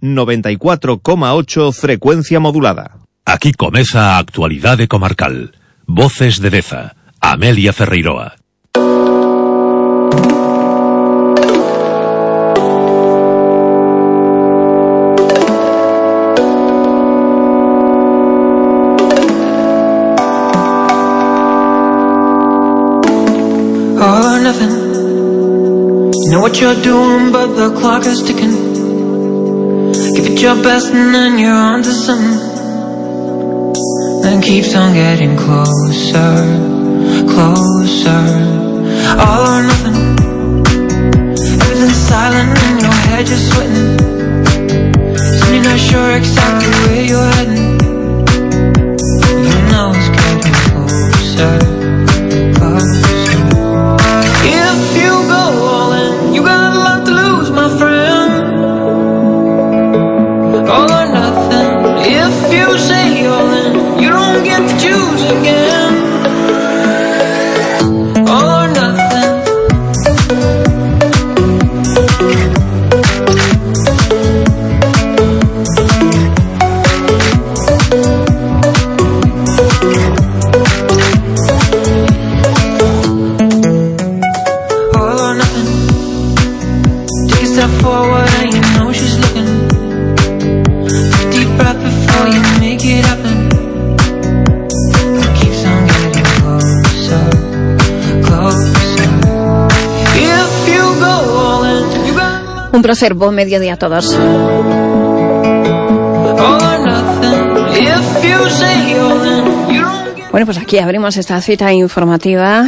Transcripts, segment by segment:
94,8 frecuencia modulada. Aquí comeza a actualidade comarcal. Voces de Deza, Amelia Ferreiroa. All or nothing. You know what you're doing, but the clock is ticking. Give it your best and then you're on to something. Then keeps on getting closer, closer. All or nothing. Everything's silent and your head just sweating. So you're not sure exactly where you're heading. You know it's getting closer, closer. If you go all in, you got a lot to lose, my friend. All or nothing. If you say all in, you don't get to choose again. All or nothing. All or nothing. Take a step forward and you know she's looking. Take a deep breath before you make it happen. It keeps on getting closer, closer. If you go all in, you got Un placer, buen mediodía a todos. all or nothing. If you say all in, you don't get. Bueno, pues aquí abrimos esta cita informativa,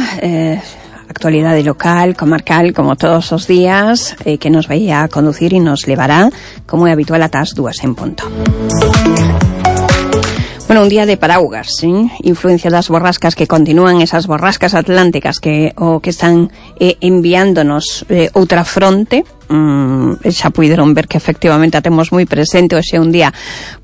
actualidad local, comarcal, como todos los días, que nos vaya a conducir y nos llevará, como es habitual, a tas 2 en punto. Bueno, un día de paraugas, ¿sí? Influencia das borrascas que continúan, esas borrascas atlánticas que están enviándonos outra fronte. Xa puideron ver que efectivamente a temos moi presente. Hoxe é un día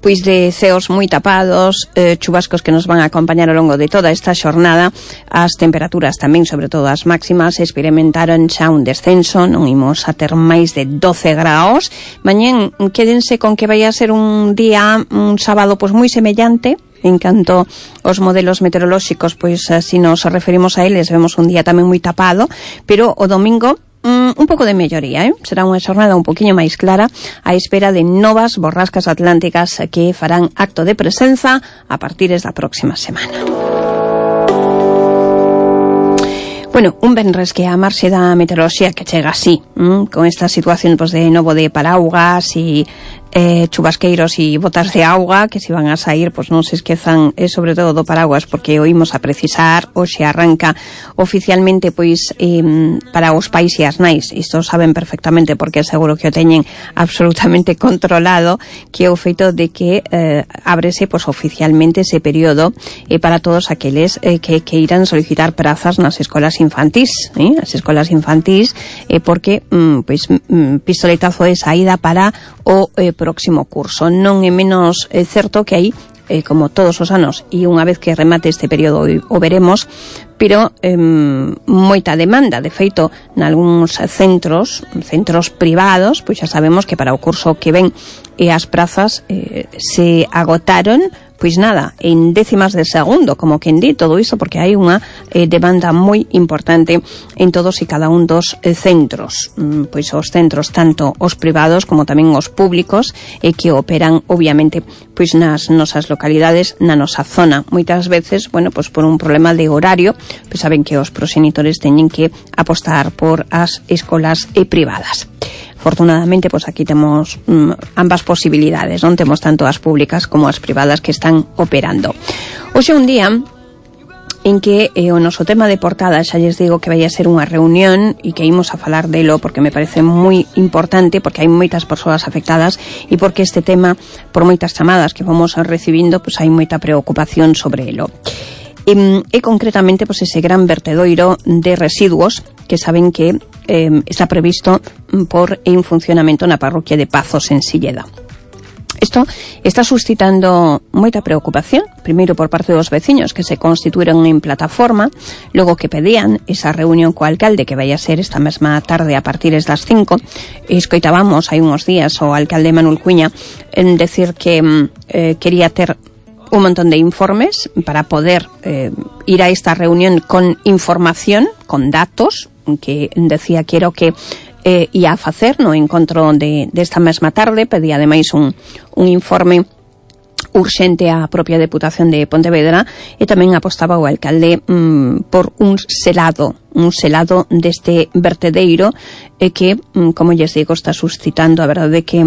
pois de ceos moi tapados, chubascos que nos van a acompañar ao longo de toda esta xornada. As temperaturas tamén, sobre todo as máximas, experimentaron xa un descenso, non imos a ter máis de 12 graus. Mañén quédense con que vai a ser un día, un sábado pois moi semellante. En canto aos modelos meteorolóxicos, pois así nos referimos a eles, vemos un día tamén moi tapado, pero o domingo un pouco de melloría, será unha xornada un poquinho máis clara á espera de novas borrascas atlánticas que farán acto de presenza a partir da próxima semana. Bueno, un venres que a marxe da meteoroloxía que chega así, con esta situación pues, de novo de paraugas e chubasqueiros e botas de auga que se van a sair, pues non se esquezan sobre todo do paraguas porque oímos a precisar, hoxe arranca oficialmente pois para os pais e as nais, isto saben perfectamente porque seguro que o teñen absolutamente controlado, que é o feito de que ábrese pois oficialmente ese período para todos aqueles que irán solicitar prazas nas escolas infantís, as escolas infantís porque pois pistoletazo de saída para o próximo curso. Non é menos certo que aí, como todos os anos, e unha vez que remate este período o veremos, pero moita demanda. De feito, nalgúns centros privados, pois xa sabemos que para o curso que ven as prazas se agotaron pois nada, en décimas de segundo, como quen di todo iso, porque hai unha demanda moi importante en todos e cada un dos centros. Pois os centros, tanto os privados como tamén os públicos, que operan, obviamente, pois nas nosas localidades, na nosa zona. Moitas veces, bueno, pois por un problema de horario, pois saben que os proxenitores teñen que apostar por as escolas privadas. Afortunadamente, pues aquí temos ambas posibilidades, non temos tanto as públicas como as privadas que están operando. Hoxe é un día en que o noso tema de portada, xa lles digo que vai a ser unha reunión e que imos a falar delo porque me parece moi importante, porque hai moitas persoas afectadas e porque este tema, por moitas chamadas que vamos recibindo, pues hai moita preocupación sobre elo. E concretamente pues ese gran vertedoiro de residuos que saben que está previsto por en funcionamento na parroquia de Pazos en Silleda. Isto está suscitando moita preocupación, primeiro por parte dos veciños que se constituíron en plataforma, logo que pedían esa reunión co alcalde que vai a ser esta mesma tarde a partir das 5. Escoitábamos hai uns días o alcalde Manuel Cuña en decir que quería ter un montón de informes para poder ir a esta reunión con información, con datos, que decía que era o que ia a facer no encontro desta mesma tarde. Pedía ademais un informe urxente á propia Deputación de Pontevedra e tamén apostaba o alcalde por un selado deste vertedeiro que, como lles digo, está suscitando a verdade que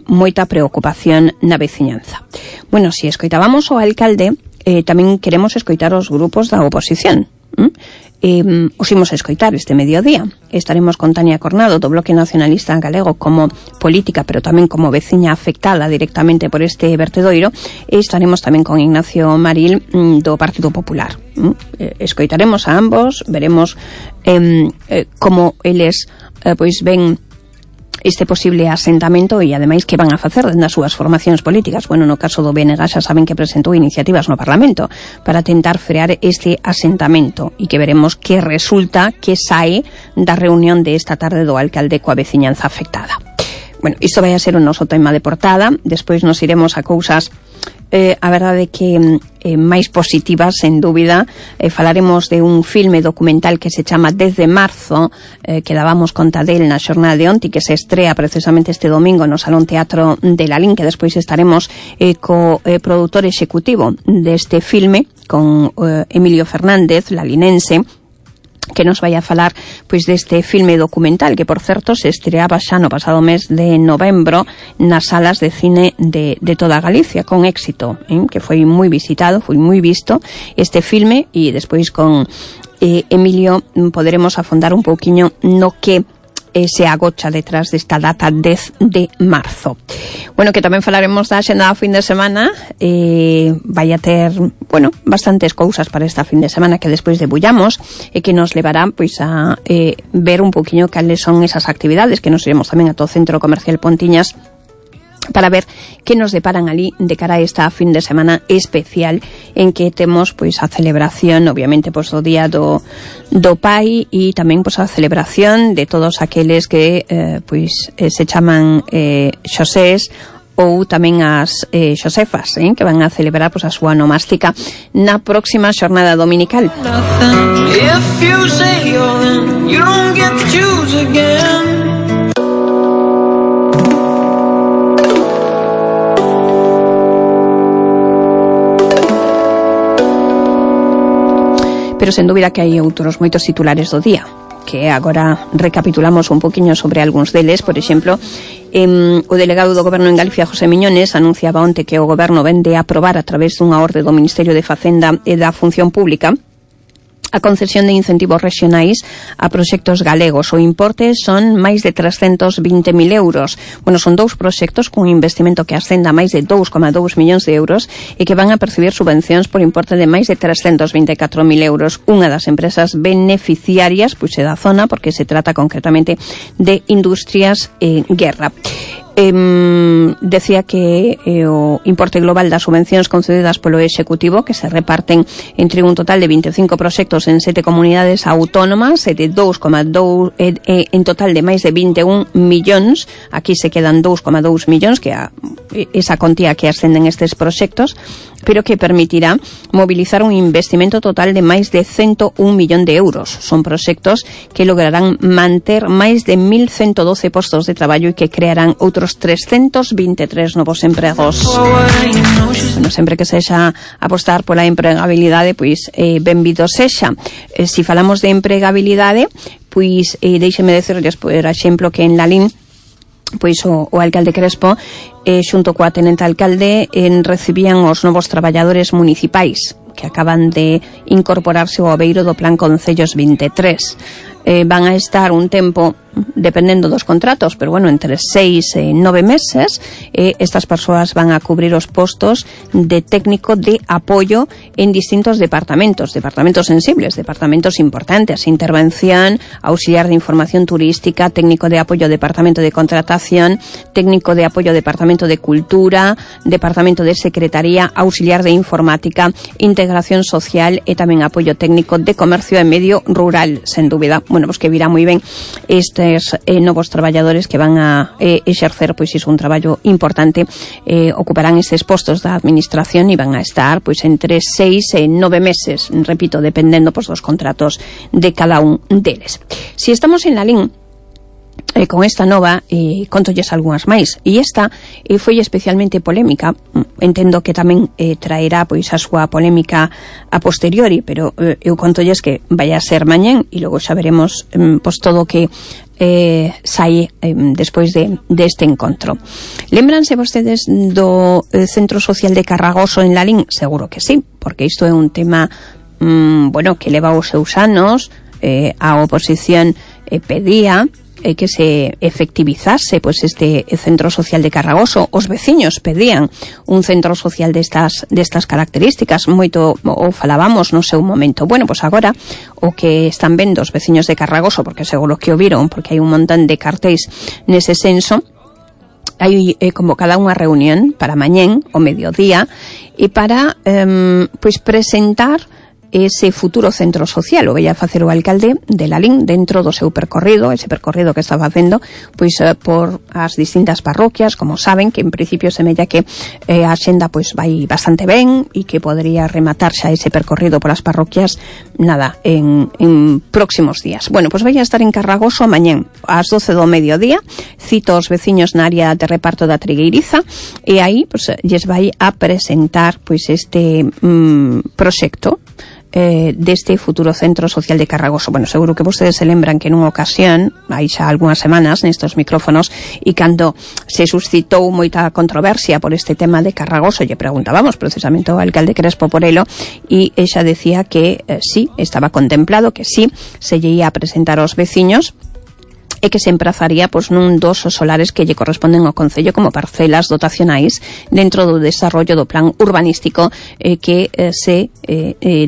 moita preocupación na veciñanza. Bueno, se escoitábamos o alcalde, tamén queremos escoitar os grupos da oposición. Os imos a escoitar este mediodía. Estaremos con Tania Cornado do Bloque Nacionalista Galego como política, pero tamén como veciña afectada directamente por este vertedoiro, e estaremos tamén con Ignacio Maril do Partido Popular. Escoitaremos a ambos, veremos como eles pois ven este posible asentamento e ademais que van a facer das súas formacións políticas. Bueno, no caso do BNG xa saben que presentou iniciativas no Parlamento para tentar frear este asentamento e que veremos que resulta, que sae da reunión de esta tarde do alcalde coa veciñanza afectada. Bueno, isto vai a ser o noso tema de portada. Despois nos iremos a cousas a verdade que máis positivas, sen dúbida. Falaremos de un filme documental que se chama Desde Marzo, que dábamos conta del na xornada de onte, que se estrea precisamente este domingo no Salón Teatro de Lalín, que despois estaremos co produtor executivo deste filme, con Emilio Fernández, lalinense, que nos vai a falar pois deste filme documental que, por certo, se estreaba xa no pasado mes de novembro nas salas de cine de toda Galicia, con éxito, que foi moi visitado, foi moi visto este filme, e despois con Emilio poderemos afondar un pouquiño no que se agocha detrás desta data 10 de marzo. Bueno, que tamén falaremos da xenda do fin de semana. Vai a ter, bueno, bastantes cousas para esta fin de semana que despois debullamos e que nos levará pois a ver un poquinho cales son esas actividades, que nos iremos tamén a todo o Centro Comercial Pontiñas para ver que nos deparan ali de cara a esta fin de semana especial en que temos pois a celebración, obviamente, pois do Día do Pai, e tamén pois a celebración de todos aqueles que pois se chaman Xosés, ou tamén as Xosefas, que van a celebrar pois a súa nomástica na próxima xornada dominical. Pero sen dúbida que hai outros moitos titulares do día, que agora recapitulamos un poquinho sobre algúns deles. Por exemplo, o delegado do Goberno en Galicia, José Miñones, anunciaba onte que o Goberno vende a aprobar a través dunha orde do Ministerio de Facenda e da Función Pública a concesión de incentivos regionais a proxectos galegos. O importe son máis de 320.000 euros. Bueno, son dous proxectos cun investimento que ascenda a máis de 2,2 millóns de euros e que van a percibir subvencións por importe de máis de 324.000 euros. Unha das empresas beneficiarias pois é da zona, porque se trata concretamente de Industrias Guerra. Decía que o importe global das subvencións concedidas polo Executivo, que se reparten entre un total de 25 proxectos en 7 comunidades autónomas e de 2,2 en total de máis de 21 millóns. Aquí se quedan 2,2 millóns, que é esa contía que ascenden estes proxectos, pero que permitirá mobilizar un investimento total de máis de 101 millón de euros. Son proxectos que lograrán manter máis de 1.112 postos de traballo e que crearán outros 323 novos empregos. Bueno, sempre que sexa apostar pola empregabilidade, pois benvido sexa. Se falamos de empregabilidade, pois deixeme decirles, por exemplo, que en Lalín pois o alcalde Crespo xunto coa tenente alcalde recibían os novos traballadores municipais que acaban de incorporarse ao abeiro do Plan Concellos 23. van a estar un tempo, dependendo dos contratos, pero bueno, entre 6 e 9 meses, estas persoas van a cubrir os postos de técnico de apoio en distintos departamentos sensibles, departamentos importantes: intervención, auxiliar de información turística, técnico de apoio departamento de contratación, técnico de apoio departamento de cultura, departamento de secretaría, auxiliar de informática, integración social e tamén apoio técnico de comercio e medio rural, sen dúbida. Bueno, pues que virá moi ben novos traballadores que van a exercer pois iso, un traballo importante, ocuparán estes postos da administración e van a estar pois entre 6 e 9 meses, repito, dependendo pois dos contratos de cada un deles. Si estamos en la LIN con esta nova, contolles algunhas máis, e esta foi especialmente polémica. Entendo que tamén traerá pois a súa polémica a posteriori, pero eu contolles que vai a ser mañén e logo xa veremos pois todo o que sai despois deste encontro. Lembranse vostedes do Centro Social de Carragoso en Lalín? Seguro que sí, porque isto é un tema bueno, que leva os seus anos. A oposición pedía que se efectivizase pois este centro social de Carragoso. Os veciños pedían un centro social destas características, moito o falábamos no seu momento. Bueno, pois agora o que están vendo os veciños de Carragoso, porque seguro que o viron, porque hai un montón de cartéis nese senso, hai convocada unha reunión para mañén, o mediodía, e para pois presentar ese futuro centro social. O vai a facer o alcalde de Lalín dentro do seu percorrido, ese percorrido que está facendo pois por as distintas parroquias. Como saben, que en principio semella que a xenda pois vai bastante ben e que podría rematar xa ese percorrido polas parroquias en próximos días. Bueno, pois vai a estar en Carragoso mañén ás 12 do mediodía. Cito os veciños na área de reparto da Trigueiriza, e aí pois lles vai a presentar pois este proxecto deste futuro centro social de Carragoso. Bueno, seguro que vostedes se lembran que nunha ocasión, hai xa algunhas semanas nestos micrófonos, e cando se suscitou moita controversia por este tema de Carragoso, lle preguntábamos precisamente ao alcalde Crespo Porelo, e ella decía que sí, estaba contemplado, que sí, se lle ia a presentar aos veciños, e que se emprazaría pois nun dos solares que lle corresponden ao Concello como parcelas dotacionais dentro do desarrollo do plan urbanístico que se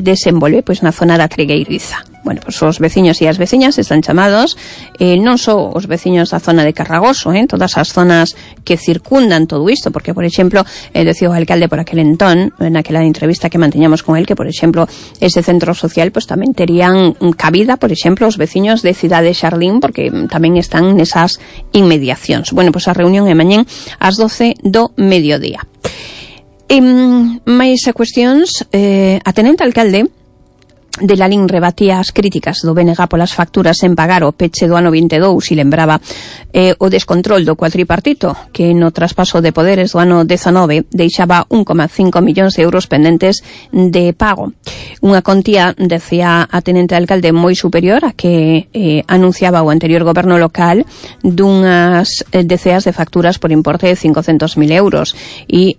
desenvolve pois na zona da Trigueiriza. Bueno, pois os veciños e as veciñas están chamados, non só os veciños da zona de Carragoso, todas as zonas que circundan todo isto, porque, por exemplo, decía o alcalde por aquel entón, naquela entrevista que manteñamos con él, que, por exemplo, ese centro social pois tamén terían cabida, por exemplo, os veciños de Cidade Xardín, porque tamén están nesas inmediacións. Bueno, pois a reunión é mañén ás 12 do mediodía. Mais a cuestións, a tenente alcalde de Lalín rebatía as críticas do BNG polas facturas en pagar o peche do ano 22 e lembraba o descontrol do cuatripartito que no traspaso de poderes do ano 19 deixaba 1,5 millóns de euros pendentes de pago. Unha contía, decía a tenente alcalde, moi superior a que anunciaba o anterior goberno local, dunhas deceas de facturas por importe de 500.000 euros, e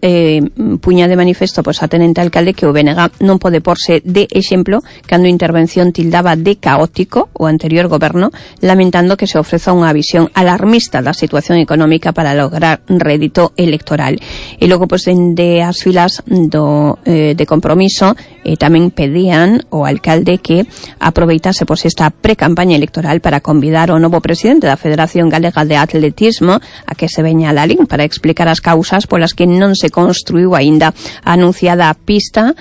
puña de manifesto pois a tenente alcalde que o BNG non pode porse de exemplo cando a intervención tildaba de caótico o anterior goberno, lamentando que se ofreza unha visión alarmista da situación económica para lograr rédito electoral. E logo, pois, dende as filas de Compromiso, tamén pedían ao alcalde que aproveitase pois esta pre-campaña electoral para convidar ao novo presidente da Federación Galega de Atletismo a que se veña a Lalín para explicar as causas polas que non se construiu aínda a anunciada pista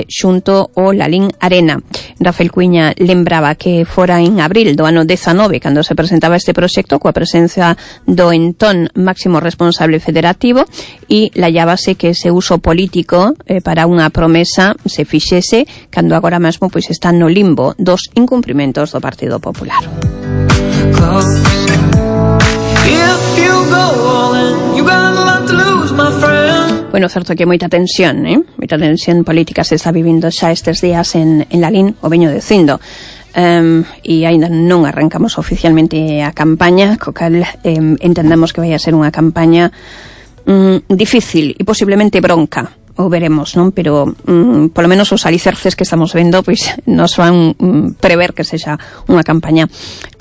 xunto ao Lalín Arena. Rafael Cuiña lembraba que fora en abril do ano 19 cando se presentaba este proxecto coa presencia do entón máximo responsable federativo, e lallábase que ese uso político para unha promesa se fixese cando agora mesmo pois está no limbo dos incumprimentos do Partido Popular. Bueno, certo que moita tensión, moita tensión política se está vivindo xa estes días en Lalín, o veño dicindo. E aínda non arrancamos oficialmente a campaña, co cal entendemos que vai a ser unha campaña difícil e posiblemente bronca. o veremos, non? Pero polo menos os alicerces que estamos vendo pois nos van prever que sexa unha campaña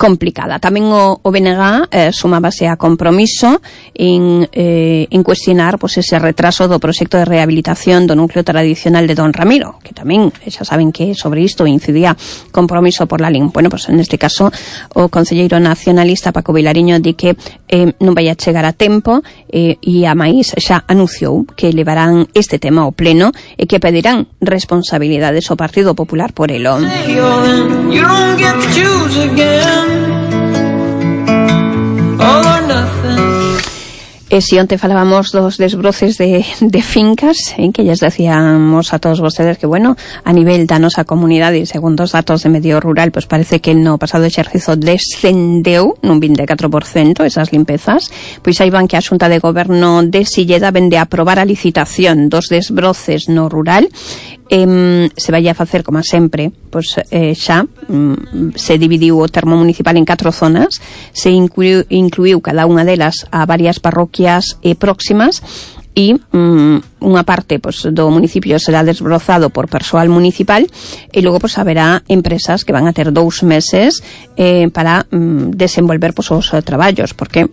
complicada. Tamén o BNG sumábase a Compromiso en cuestionar pois ese retraso do proxecto de rehabilitación do núcleo tradicional de Don Ramiro, que tamén xa saben que sobre isto incidía Compromiso por la LIN. Bueno, pois neste caso o concelleiro nacionalista Paco Vilariño di que non vai a chegar a tempo e a máis xa anunciou que levarán este tema ao pleno e que pedirán responsabilidades ao Partido Popular por elo. E si onte falábamos dos desbroces de fincas, que lles decíamos a todos vostedes que, bueno, a nivel da nosa comunidade, segundo os datos de Medio Rural, pues parece que no pasado exercizo descendeu nun 24% esas limpezas, pois aí van que a Xunta de Goberno de Silleda vende a aprobar a licitación dos desbroces no rural. Se vai a facer, como sempre, pois xa se dividiu o termo municipal en 4 zonas, se incluiu cada unha delas a varias parroquias próximas e unha parte pois, do municipio será desbrozado por persoal municipal e logo pois, haberá empresas que van a ter 2 meses para desenvolver pois, os traballos, porque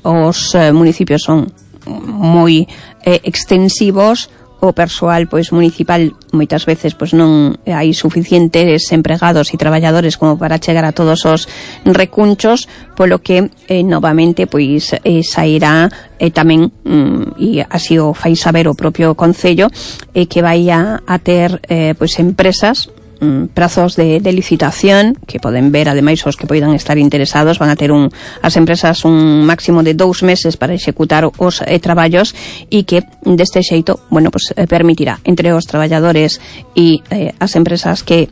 os municipios son moi extensivos. O persoal pois municipal moitas veces pois non hai suficientes empregados e traballadores como para chegar a todos os recunchos, polo que novamente pois sairá tamén e así o fai saber o propio concello que vai a ter pois empresas prazos de licitación que poden ver, ademais os que poidan estar interesados van a ter as empresas un máximo de 2 meses para executar os traballos e que deste xeito, bueno, pues permitirá entre os traballadores e as empresas que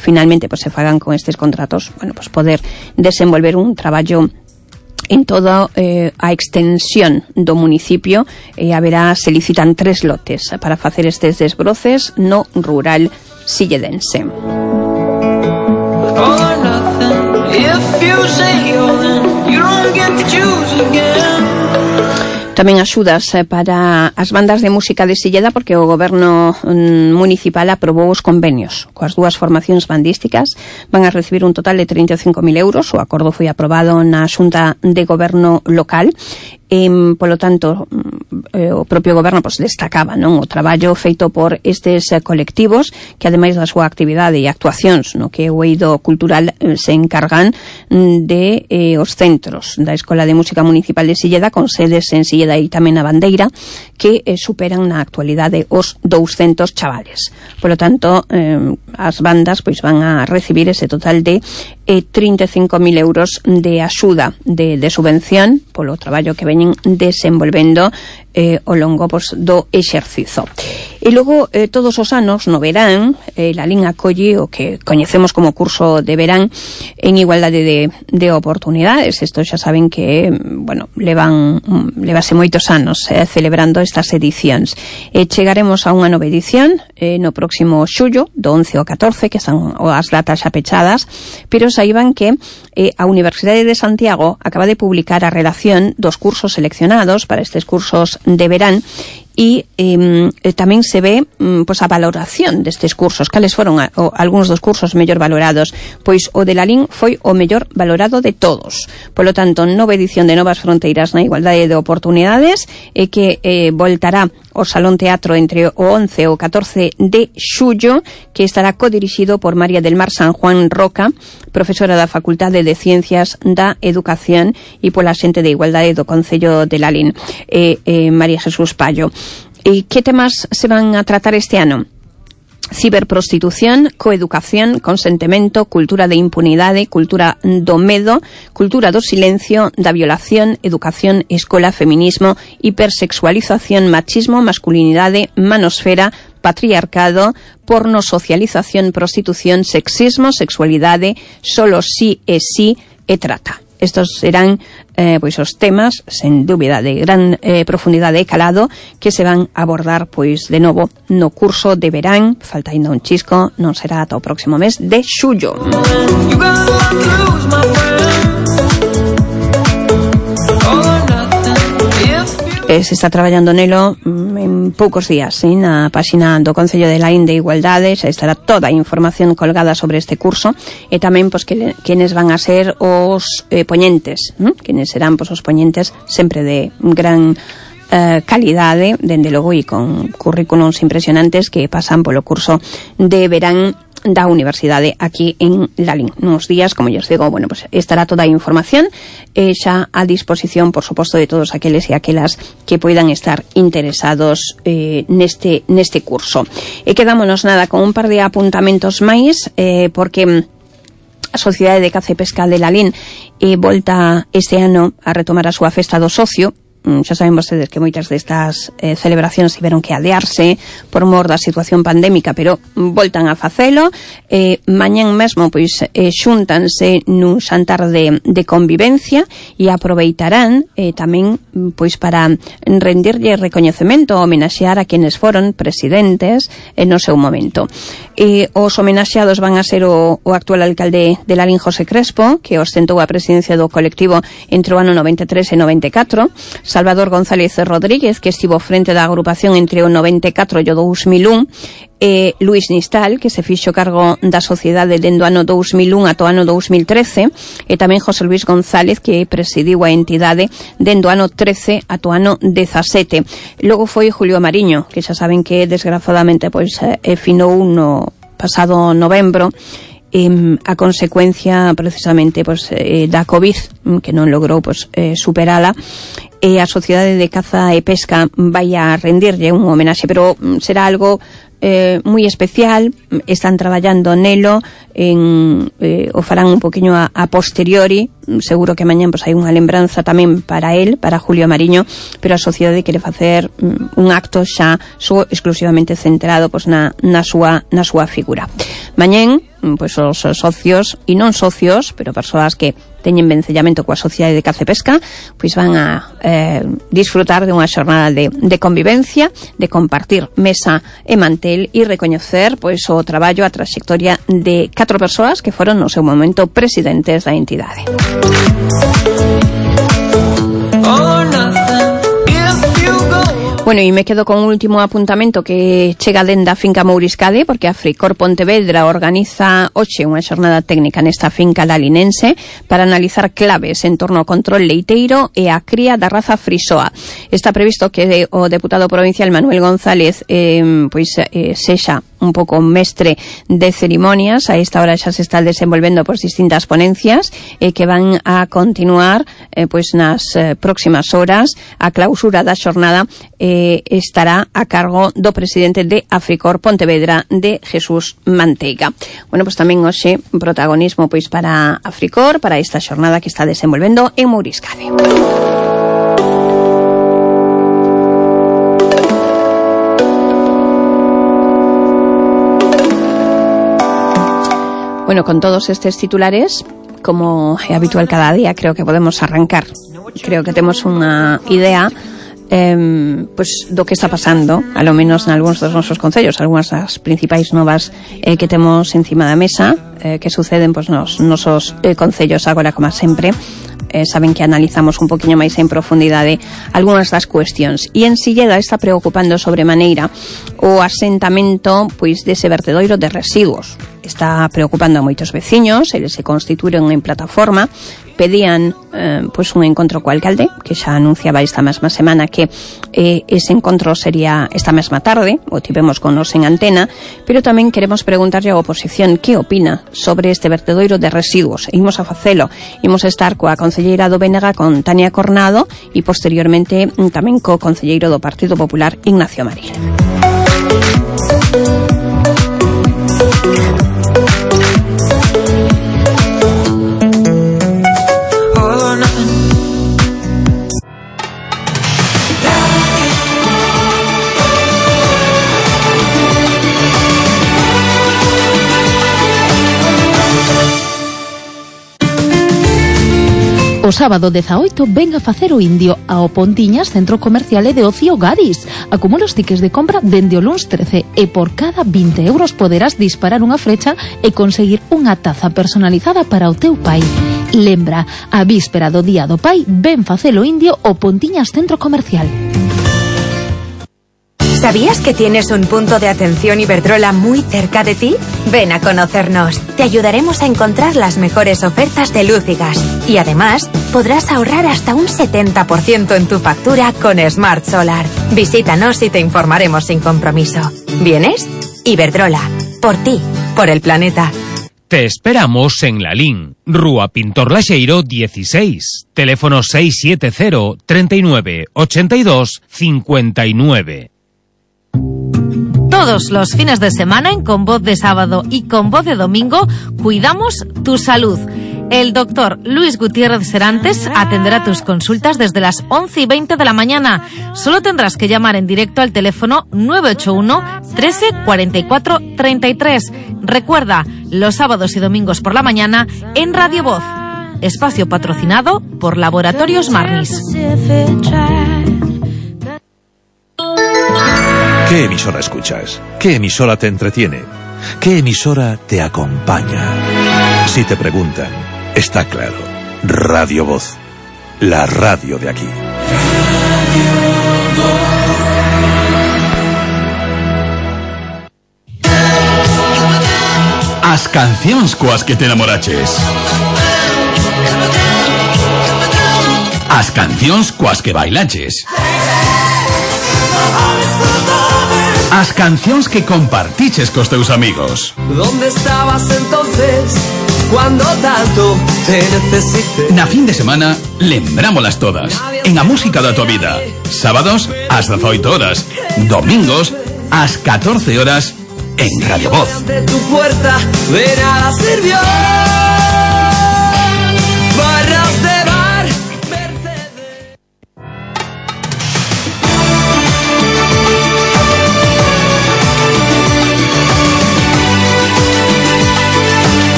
finalmente pues se fagan con estes contratos, bueno, pues poder desenvolver un traballo en toda a extensión do municipio. Se licitan 3 lotes para facer estes desbroces no rural silledense. Tamén axudas para as bandas de música de Silleda, porque o goberno municipal aprobou os convenios coas 2 formacións bandísticas. Van a recibir un total de 35.000 euros. O acordo foi aprobado na Xunta de Goberno local. Polo tanto, o propio goberno pues, destacaba non o traballo feito por estes colectivos que ademais da súa actividade e actuacións no que o eido cultural se encargan de os centros da Escola de Música Municipal de Silleda, con sedes en Silleda e tamén a Bandeira, que superan na actualidade os 200 chavales. Polo tanto, as bandas pois, van a recibir ese total de 35.000 euros de axuda de subvención polo traballo que veñen desenvolvendo ao longo pois, do exercizo. E logo, todos os anos, no verán, a LIN acolle o que coñecemos como curso de verán en igualdade de oportunidades. Isto xa saben que, bueno, levase moitos anos celebrando estas edicións. Chegaremos a unha nova edición no próximo xullo, do 11 ao 14, que están as datas xa pechadas, pero saiban que a Universidade de Santiago acaba de publicar a relación dos cursos seleccionados para estes cursos de verán e tamén se ve pois a valoración destes cursos. Cales foron algúns dos cursos mellor valorados? Pois o de la LIN foi o mellor valorado de todos. Polo tanto, nova edición de Novas Fronteiras na Igualdade de Oportunidades que voltará ao Salón Teatro entre o 11 e o 14 de xullo, que estará codirixido por María del Mar San Juan Roca, profesora da Facultade de Ciencias da Educación, e pola xente de Igualdade do Concello de la LIN, María Jesús Pallo. E que temas se van a tratar este ano? Ciberprostitución, coeducación, consentimento, cultura de impunidade, cultura do medo, cultura do silencio, da violación, educación, escola, feminismo, hipersexualización, machismo, masculinidade, manosfera, patriarcado, porno, socialización, prostitución, sexismo, sexualidade, solo sí e sí e trata. Estos serán pois os temas, sen dúbida, de gran profundidade e calado, que se van a abordar pois de novo no curso de verán. Falta ainda un chisco, non será ata o próximo mes de xullo. Se está traballando nelo en poucos días, ¿sí? Na páxina do Concello de Laín de Igualdade xa estará toda a información colgada sobre este curso e tamén pois quenes van a ser os poñentes, quenes serán pois os poñentes sempre de gran calidade, dende logo, e con currículums impresionantes que pasan polo curso de verán da Universidade aquí en Lalín. Nos días, como os digo, bueno, pues estará toda a información xa a disposición, por suposto, de todos aqueles e aquelas que poidan estar interesados neste curso. E quedámonos nada con un par de apuntamentos máis, porque a Sociedade de Caza e Pesca de Lalín volta este ano a retomar a súa festa do socio. Xa saben vostedes que moitas destas celebracións tiveron que adearse por mor da situación pandémica, pero voltan a facelo. Mañán mesmo pois xúntanse nun xantar de convivencia e aproveitarán tamén pois para rendirlle recoñecemento, homenaxear a quenes foron presidentes no seu momento. Os homenaxeados van a ser o actual alcalde de Lalín, José Crespo, que ostentou a presidencia do colectivo entre o ano 93 e 94, Salvador González Rodríguez, que estivo frente da agrupación entre o 94 e o 2001, Luis Nistal, que se fixo cargo da sociedade dende o ano 2001 ata o ano 2013, e tamén José Luis González, que presidiu a entidade dende o ano 13 ata o ano 17. Logo foi Julio Mariño, que xa saben que desgraciadamente pois finou no pasado novembro, a consecuencia precisamente pois da COVID, que non logrou pois superala. A Sociedade de Caza e Pesca vai a rendirlle un homenaxe, pero será algo moi especial. Están traballando nelo, o farán un poquinho a posteriori. Seguro que mañán pois hai unha lembranza tamén para él, para Julio Mariño, pero a sociedade quere facer un acto xa exclusivamente centrado pois na súa figura. Mañán pois os socios e non socios, pero persoas que teñen vencellamento coa Sociedade de Caza e Pesca, pois van a disfrutar de unha xornada de convivencia, de compartir mesa e mantel e recoñecer pois o traballo, a trayectoria de 4 persoas que foron no seu momento presidentes da entidade. Bueno, e me quedo con un último apuntamento que chega dende a finca Mouriscade, porque a Africor Pontevedra organiza hoxe unha xornada técnica nesta finca lalinense para analizar claves en torno ao control leiteiro e a cría da raza frisoa. Está previsto que o deputado provincial Manuel González sexa un pouco mestre de cerimonias. A esta hora xa se está desenvolvendo por distintas ponencias que van a continuar pois nas próximas horas. A clausura da xornada estará a cargo do presidente de Africor Pontevedra, de Jesús Manteiga. Bueno, pois tamén hoxe protagonismo pois para Africor, para esta xornada que está desenvolvendo en Mouriscade. Bueno, con todos estes titulares, como é habitual cada día, creo que podemos arrancar. Creo que temos unha idea pois do que está pasando, a lo menos en algúns dos nosos concellos, algunhas das principais novas que temos encima da mesa, que suceden pois nos nosos concellos agora, como sempre. Saben que analizamos un poquinho máis en profundidade algunhas das cuestións, e en Silleda está preocupando sobremaneira o asentamento pois dese vertedoiro de residuos. Está preocupando a moitos veciños. Eles se constituíron en plataforma, pedían pois un encontro co alcalde, que xa anunciaba esta mesma semana que ese encontro sería esta mesma tarde, o tivemos con nos en antena, pero tamén queremos preguntarlle á oposición que opina sobre este vertedoiro de residuos. E imos a facelo, imos a estar coa concelleira do BNG, con Tania Cornado, e posteriormente tamén co concelleiro do Partido Popular, Ignacio Maril. O sábado 18 ven a facer o indio ao Pontiñas, Centro Comercial e de Ocio Gadis. Acumula os tickets de compra dende o luns 13 e por cada 20 euros poderás disparar unha flecha e conseguir unha taza personalizada para o teu pai. Lembra, a víspera do Día do Pai, ven facelo indio o Pontiñas Centro Comercial. ¿Sabías que tienes un punto de atención Iberdrola muy cerca de ti? Ven a conocernos. Te ayudaremos a encontrar las mejores ofertas de luz y gas. Y además, podrás ahorrar hasta un 70% en tu factura con Smart Solar. Visítanos y te informaremos sin compromiso. ¿Vienes? Iberdrola. Por ti. Por el planeta. Te esperamos en Lalín, Rúa Pintor Laxeiro 16, teléfono 670 39 82 59. Todos los fines de semana en Con Voz de Sábado y Con Voz de Domingo cuidamos tu salud. El doctor Luis Gutiérrez Serantes atenderá tus consultas desde las 11:20 de la mañana. Solo tendrás que llamar en directo al teléfono 981 13 44 33. Recuerda, los sábados y domingos por la mañana en Radio Voz. Espacio patrocinado por Laboratorios Marnis. ¿Qué emisora escuchas? ¿Qué emisora te entretiene? ¿Qué emisora te acompaña? Si te preguntan, está claro. Radio Voz, la radio de aquí. As cancións coas que te enamoraches. As cancións coas que bailaches. As cancións que compartiches cos teus amigos. ¿Dónde estabas entonces cuando tanto te necesité? Na fin de semana, lembrámolas todas. En a música da tua vida. Sábados, ás 18 horas. Domingos, ás 14 horas, en Radio Voz. De tu puerta de nada sirvió. Barras de bar, Mercedes.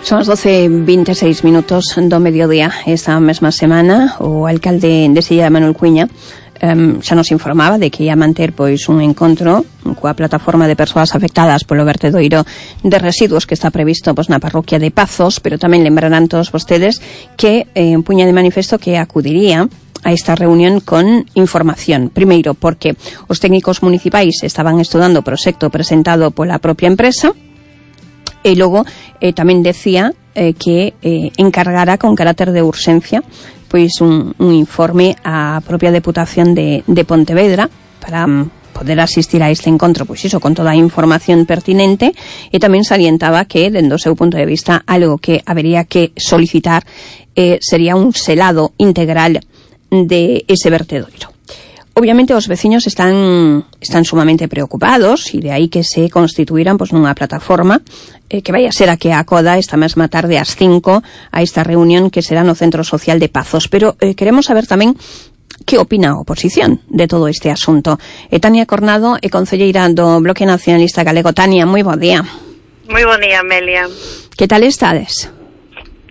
Son as 12:26 do mediodía. Esta mesma semana o alcalde de Silla, Manuel Cuiña, xa nos informaba de que ia manter pois un encontro coa plataforma de persoas afectadas polo vertedoiro de residuos que está previsto pois na parroquia de Pazos, pero tamén lembrarán todos vostedes que puña de manifesto que acudiría a esta reunión con información. Primeiro, porque os técnicos municipais estaban estudando o proxecto presentado pola propia empresa. E logo tamén decía que encargara con carácter de urxencia pois un informe á propia Deputación de Pontevedra para poder asistir a este encontro, pois iso, con toda a información pertinente, e tamén salientaba que, dende o seu punto de vista, algo que habería que solicitar sería un selado integral de ese vertedoiro. Obviamente os veciños están sumamente preocupados e de aí que se constituíran pois nunha plataforma que vai a ser a que acoda esta mesma tarde ás 5 a esta reunión que será no Centro Social de Pazos. Pero queremos saber tamén que opina a oposición de todo este asunto. Tania Cornado é concelleira do Bloque Nacionalista Galego. Tania, moi bo día. Moi bo día, Amelia. Que tal estades?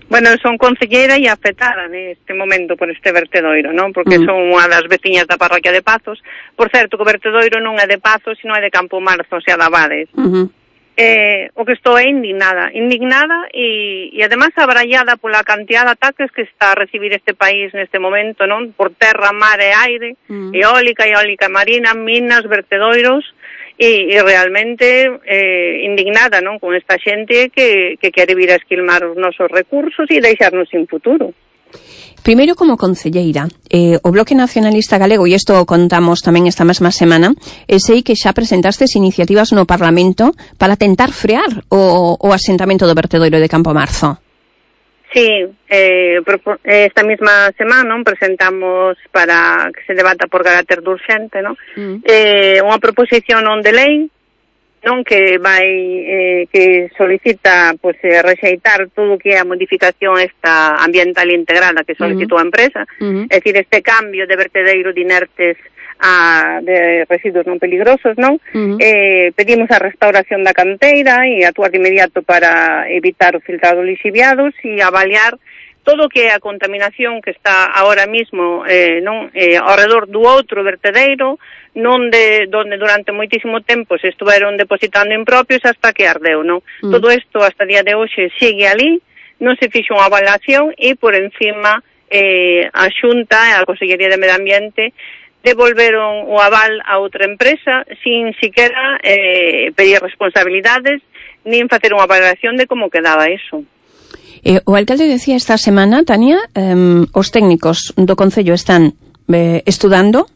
Bueno, son concelleira e afectada neste momento por este vertedoiro, non? Porque son unha das veciñas da parroquia de Pazos. Por certo, que o vertedoiro non é de Pazos, sino é de Campo Marzo, xa de Abades. O que estou é indignada e además abrallada pola cantidad de ataques que está a recibir este país neste momento, non? Por terra, mar e aire, eólica marina, minas, vertedoiros, e realmente indignada, non, con esta xente que quere vir a esquilmar os nosos recursos e deixarnos sin futuro. Primeiro, como concelleira, o Bloque Nacionalista Galego, e isto contamos tamén esta mesma semana, sei que xa presentastes iniciativas no Parlamento para tentar frear o asentamento do vertedoiro de Campo Marzo. Sí, esta mesma semana presentamos para que se debata por carácter de urxente, non? Unha proposición non de lei, non, que vai que solicita pois rexeitar todo o que é a modificación esta ambiental integrada que solicitou a empresa, é dicir, este cambio de vertedeiro de inertes de residuos non peligrosos, non? Pedimos a restauración da canteira e actuar de inmediato para evitar o filtrado lixiviados e avaliar todo o que é a contaminación que está ahora mismo ao redor do outro vertedeiro, donde durante moitísimo tempo se estuveron depositando impropios hasta que ardeu, non? Todo isto hasta día de hoxe sigue ali, non se fixo unha avalación e por encima a Xunta e a Consellería de Medio Ambiente devolveron o aval a outra empresa sin siquiera pedir responsabilidades nin facer unha avalación de como quedaba eso. O alcalde decía esta semana, Tania, os técnicos do Concello están estudando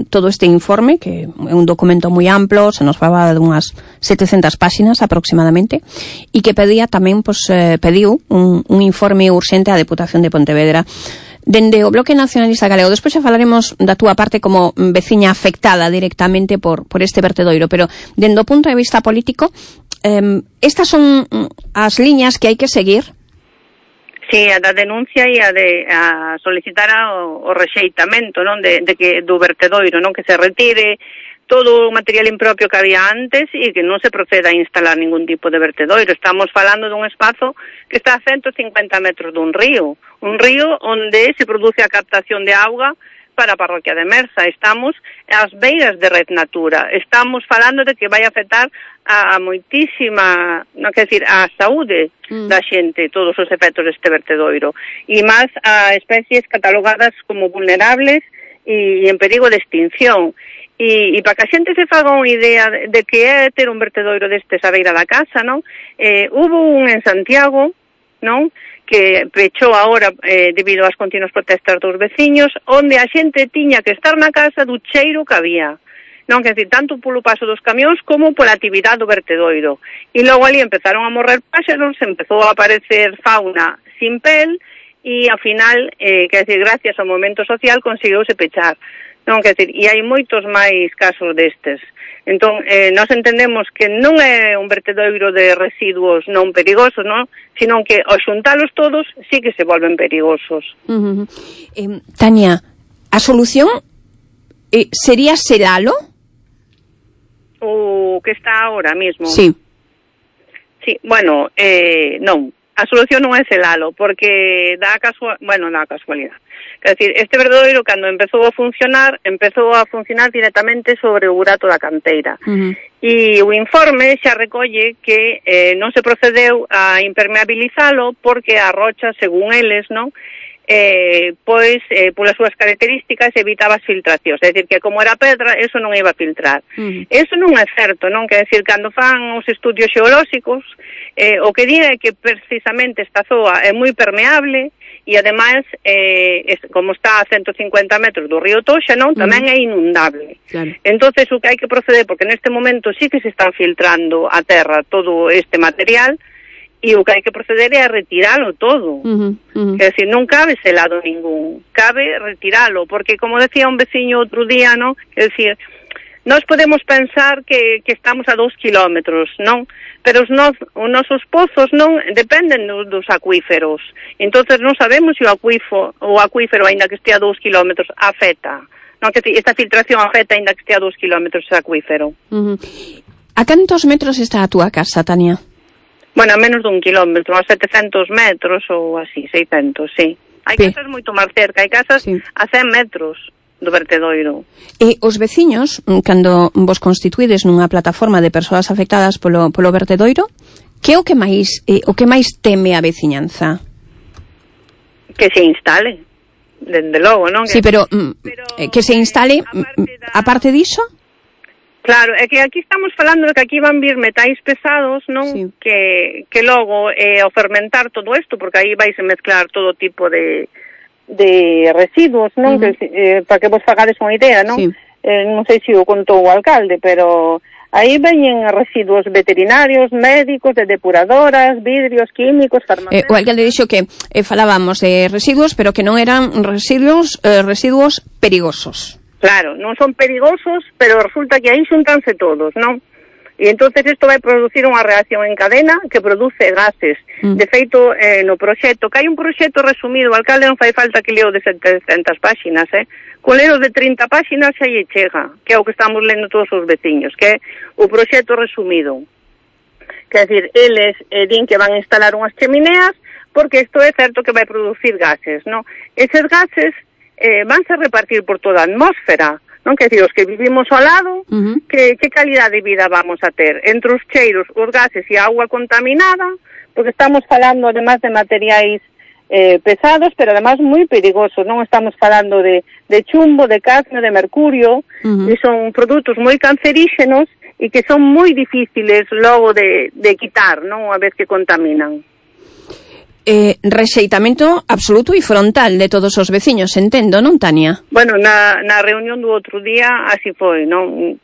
todo este informe, que é un documento moi amplo, se nos falaba de unhas 700 páxinas aproximadamente, e que pedía tamén, pediu un informe urxente á Deputación de Pontevedra. Dende o Bloque Nacionalista Galego, despois xa falaremos da túa parte como veciña afectada directamente por este vertedoiro, pero dende o punto de vista político, estas son as liñas que hai que seguir. Sí, a da denuncia e a solicitar o rexeitamento, non, do vertedoiro, non, que se retire todo o material impropio que había antes e que non se proceda a instalar ningún tipo de vertedoiro. Estamos falando dun espazo que está a 150 metros dun río onde se produce a captación de auga para a parroquia de Merza. Estamos ás beiras de Red Natura. Estamos falando de que vai afectar a moitísima, non quer decir, a saúde da xente, todos os efectos deste vertedoiro. E máis a especies catalogadas como vulnerables e en perigo de extinción. E para que a xente se faga unha idea de que é ter un vertedoiro destes a beira da casa, non? Hubo un en Santiago, non? Que pechou agora debido ás continuas protestas dos veciños, onde a xente tiña que estar na casa do cheiro que había. Non, quer dizer, tanto polo paso dos camións como pola actividade do vertedoiro. E logo ali empezaron a morrer páxaros, empezou a aparecer fauna sin pel, e ao final, quer dizer, gracias ao movimento social conseguiuse pechar. Non, quer dizer, e hai moitos máis casos destes. Entón, nós entendemos que non é un vertedoiro de residuos non perigosos, non? Sino que ao xuntalos todos sí que se volven perigosos. Tania, a solución sería selalo? O que está ahora mismo? Sí. Sí, bueno, non. A solución non é selalo, porque dá casualidade. Quer dizer, este vertedoiro, cando empezou a funcionar directamente sobre o burato da canteira. E o informe xa recolle que non se procedeu a impermeabilizalo porque a rocha, según eles, non, polas súas características evitaba as filtracións, é dicir, que como era pedra, eso non iba a filtrar. Eso non é certo, non? Quer dicir, cando fan os estudios xeolóxicos, o que di é que precisamente esta zoa é moi permeable e, ademais, como está a 150 metros do río Toxa, non? Tamén é inundable. Claro. Entonces, o que hai que proceder, porque neste momento sí que se están filtrando a terra todo este material, e o que hai que proceder é a retiralo todo. Quer dizer, non cabe selado ningún, cabe retiralo, porque, como decía un veciño outro día, non? Quer dizer, nós podemos pensar que estamos a 2 kilómetros, non? Pero os nosos pozos non dependen dos acuíferos. Entonces non sabemos se o acuífero, aínda que estea a 2 kilómetros, afecta. Non, que esta filtración afecta aínda que estea a 2 kilómetros ese acuífero. A cantos metros está a túa casa, Tania? Bueno, a menos dun kilómetro, a 700 metros ou así, 600, sí. Hai casas moito máis cerca, hai casas a 100 metros do vertedoiro. E os veciños, cando vos constituídes nunha plataforma de persoas afectadas polo vertedoiro, que é o que máis teme a veciñanza? Que se instale, dende logo, non? Sí, pero que se instale, a parte diso? Claro, é que aquí estamos falando de que aquí van vir metais pesados, non? Sí. Que logo, ao fermentar todo isto, porque aí vais a mezclar todo tipo de residuos, non? Para que vos fagades unha idea, non? Sí. Non sei se o contou o alcalde, pero aí veñen residuos veterinarios, médicos, de depuradoras, vidrios, químicos, farmacéuticos. O alcalde dixo que falábamos de residuos, pero que non eran residuos perigosos. Claro, non son perigosos, pero resulta que aí xuntanse todos, non? E entonces isto vai producir unha reacción en cadena que produce gases. De feito, no proxecto, que hai un proxecto resumido, o alcalde non fai falta que leo de 700 páxinas, con leo de 30 páxinas xa lle chega, que é o que estamos lendo todos os veciños, que é o proxecto resumido. Quer dizer, eles din que van a instalar unhas chemineas porque isto é certo que vai producir gases, non? Eses gases vanse a repartir por toda a atmósfera, non? Que decir, os que vivimos ao lado, que calidade de vida vamos a ter? Entre os cheiros, os gases e a auga contaminada, porque estamos falando además de materiais pesados, pero además moi perigosos, non? Estamos falando de chumbo, de cadmio, de mercurio, e son produtos moi canceríxenos e que son moi difíciles logo de quitar, non? Unha vez que contaminan. Rexeitamento absoluto e frontal de todos os veciños, entendo, non, Tania? Bueno, na reunión do outro día así foi, non?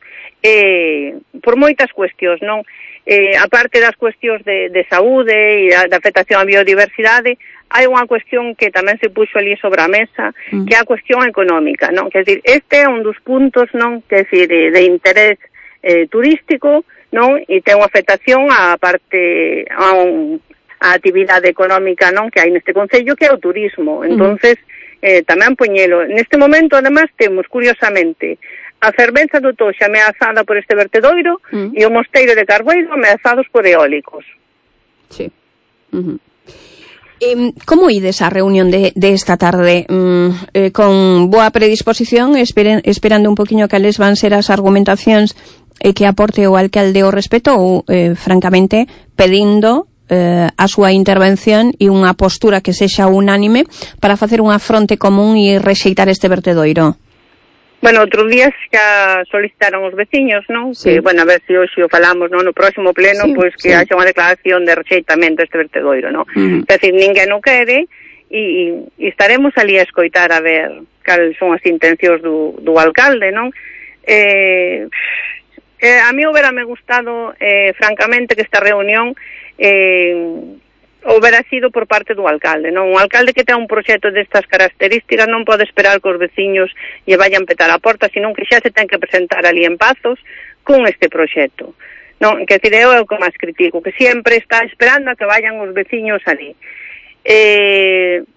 Por moitas cuestións, non? A parte das cuestións de saúde e da afectación á biodiversidade, hai unha cuestión que tamén se puxo ali sobre a mesa, que é a cuestión económica, non? Que decir, este é un dos puntos, non? Que decir, de interés turístico, non? E ten unha afectación á parte a actividade económica, non, que hai neste concello, que é o turismo. Entonces, tamén poñelo. Neste momento, además, temos, curiosamente, a fervenza do Toxa ameazada por este vertedoiro e o Mosteiro de Carboeiro ameazados por eólicos. Sí. Como ides a reunión de esta tarde? Con boa predisposición, esperando un poquinho cales van ser as argumentacións que aporte o alcalde ao respecto ou, francamente, pedindo a súa intervención e unha postura que sexa unánime para facer unha fronte común e rexeitar este vertedoiro? Bueno, outros días xa solicitaron os veciños, non? Sí. Que, bueno, a ver se hoxe o falamos, non? No próximo pleno, pois que haxa unha declaración de rexeitamento deste vertedoiro, non? É dicir, ninguén o quere e estaremos ali a escoitar a ver cales son as intencións do alcalde, non? A mí hubiérame gustado, francamente, que esta reunión houbera sido por parte do alcalde, non? Un alcalde que ten un proxecto destas características non pode esperar que os veciños lle vayan petar a porta, senón que xa se ten que presentar ali en Pazos con este proxecto, non? Que decir, eu é o que máis critico, que sempre está esperando a que vayan os veciños ali.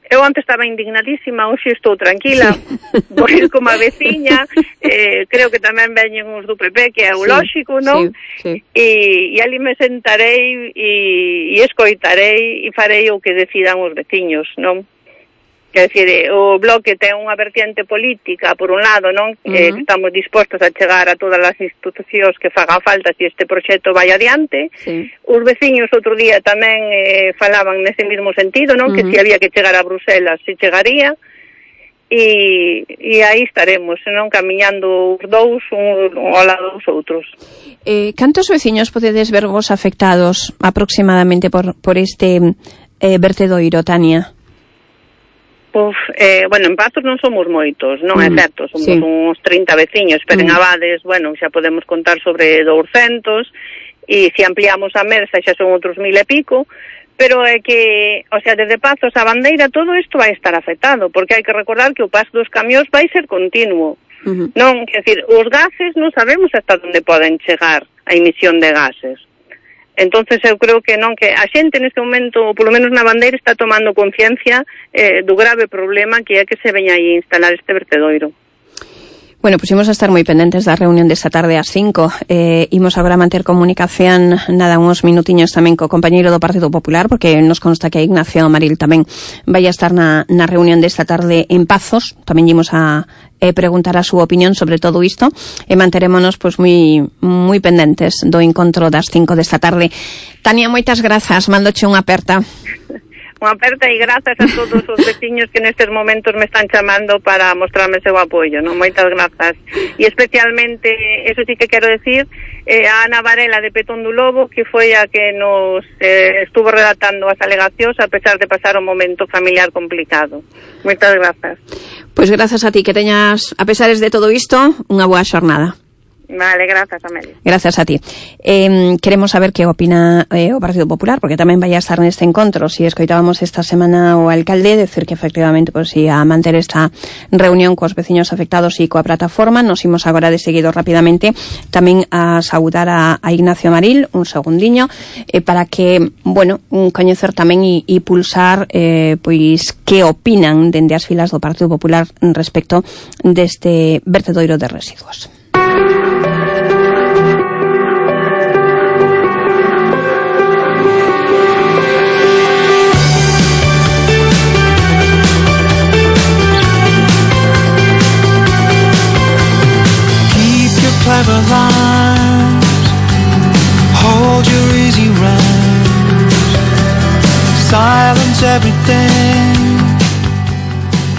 Eu antes estaba indignadísima, hoxe estou tranquila, vou ir como a veciña, creo que tamén veñen os do PP, que é o lóxico, non? E ali me sentarei e escoitarei e farei o que decidan os veciños, non? Quer dizer, o Bloque ten unha vertiente política, por un lado, non? Que estamos dispostos a chegar a todas as institucións que fagan falta se este proxecto vai adiante. Os veciños outro día tamén falaban nese mesmo sentido, non? Que se había que chegar a Bruselas, se chegaría. E aí estaremos, non? Camiñando os dous ao lado dos outros. Cantos veciños podedes ver vos afectados aproximadamente por este vertedoiro, Tania? Bueno, en Pazos non somos moitos, non é certo, somos uns 30 veciños, pero en Abades, bueno, xa podemos contar sobre 200, e se ampliamos a Mersa xa son outros 1000 e pico, pero é que, o sea, desde Pazos a Bandeira todo isto vai estar afectado, porque hai que recordar que o paso dos camións vai ser continuo, non? Quer dizer, os gases non sabemos hasta onde poden chegar a emisión de gases. Entonces eu creo que non, que a xente neste momento, polo menos na Bandeira, está tomando conciencia do grave problema que é que se veña aí instalar este vertedoiro. Bueno, pues imos a estar moi pendentes da reunión desta tarde ás 5. Imos agora manter comunicación, nada, uns minutiños tamén co compañeiro do Partido Popular, porque nos consta que Ignacio Maril tamén vai a estar na reunión desta tarde en Pazos. Tamén imos a preguntar a súa opinión sobre todo isto e manterémonos pois moi pendentes do encontro das 5 desta tarde. Tania, moitas grazas, mandoche unha aperta. Unha aperta e grazas a todos os veciños que nestes momentos me están chamando para mostrarme seu apoio, non? Moitas grazas. E especialmente, eso sí que quero decir, a Ana Varela de Petón do Lobo, que foi a que nos estuvo redactando as alegacións a pesar de pasar un momento familiar complicado. Moitas grazas. Pois grazas a ti, que teñas, a pesares de todo isto, unha boa xornada. Vale, grazas, Amelia. Gracias a ti. Queremos saber que opina o Partido Popular, porque tamén vai a estar neste encontro. Si escoitábamos esta semana o alcalde decir que efectivamente pues, ia a manter esta reunión cos veciños afectados e coa plataforma. Nos imos agora de seguido rapidamente tamén a saudar a Ignacio Maril, un segundiño, para que, bueno, coñecer tamén e pulsar pois que opinan dende as filas do Partido Popular respecto deste vertedoiro de residuos. silence everything.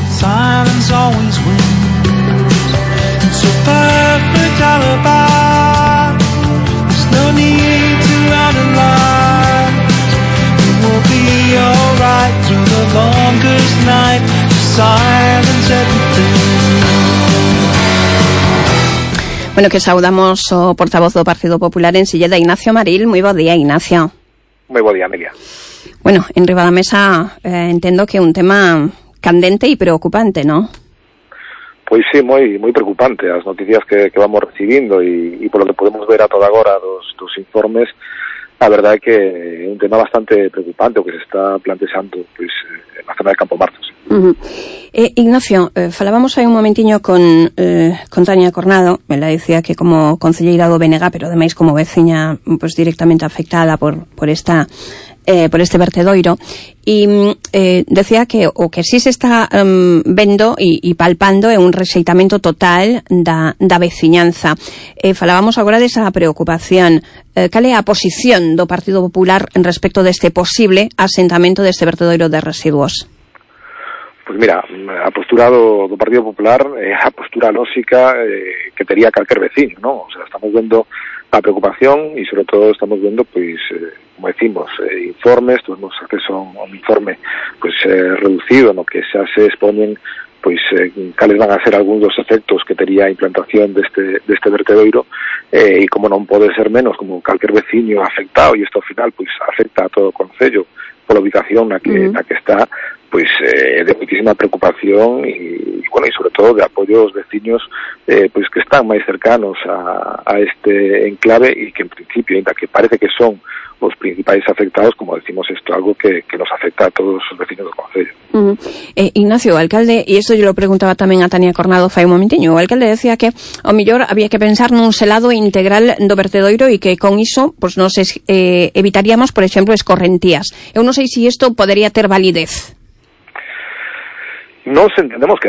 Silence always wins. It's a perfect alibi. There's no need to analyze. It will be alright through the longest night. Silence everything. Bueno, que saudamos o portavoz do Partido Popular en Silleda, Ignacio Maril. Moi bo día, Ignacio. Moi bo día, Amelia. Bueno, en riba da mesa entendo que é un tema candente e preocupante, ¿no? Pois sí, moi preocupante as noticias que vamos recibindo e por lo que podemos ver a toda agora dos informes, a verdade é que é un tema bastante preocupante o que se está plantexando pois, na zona de Campo Martos. Ignacio, falábamos hai un momentiño con Tania Cornado. Ela dicía que como concelleira do BNG, pero ademais como veciña pues, directamente afectada por este vertedoiro, e decía que o que sí se está vendo e palpando é un rexeitamento total da veciñanza. Falábamos agora desa preocupación. Cal é a posición do Partido Popular en respecto deste posible asentamento deste vertedoiro de residuos? Pois mira, a postura do Partido Popular é a postura lóxica que tería calquer veciño, non? O sea, estamos vendo a preocupación e, sobre todo, estamos vendo, pois, como decimos, informes, tuvimos acceso a un informe, pois, reducido, no que xa se expoñen, pois, cales van a ser algúns dos efectos que tería a implantación deste vertedoiro, e como non pode ser menos, como calquer veciño afectado, e isto ao final, pois, afecta a todo o concello pola ubicación na que está, pois de moitísima preocupación e bueno, e sobre todo de apoio aos veciños pois que están máis cercanos a este enclave e que en principio, ainda que parece que son os principais afectados, como decimos, isto é algo que nos afecta a todos os vecinos do concello. Ignacio, o alcalde, e isto yo lo preguntaba tamén a Tania Cornado fai un momentiño, o alcalde decía que ao mellor había que pensar nun selado integral do vertedoiro e que con iso pues, nos evitaríamos, por exemplo, escorrentías. Eu non sei se isto podería ter validez. Nos entendemos que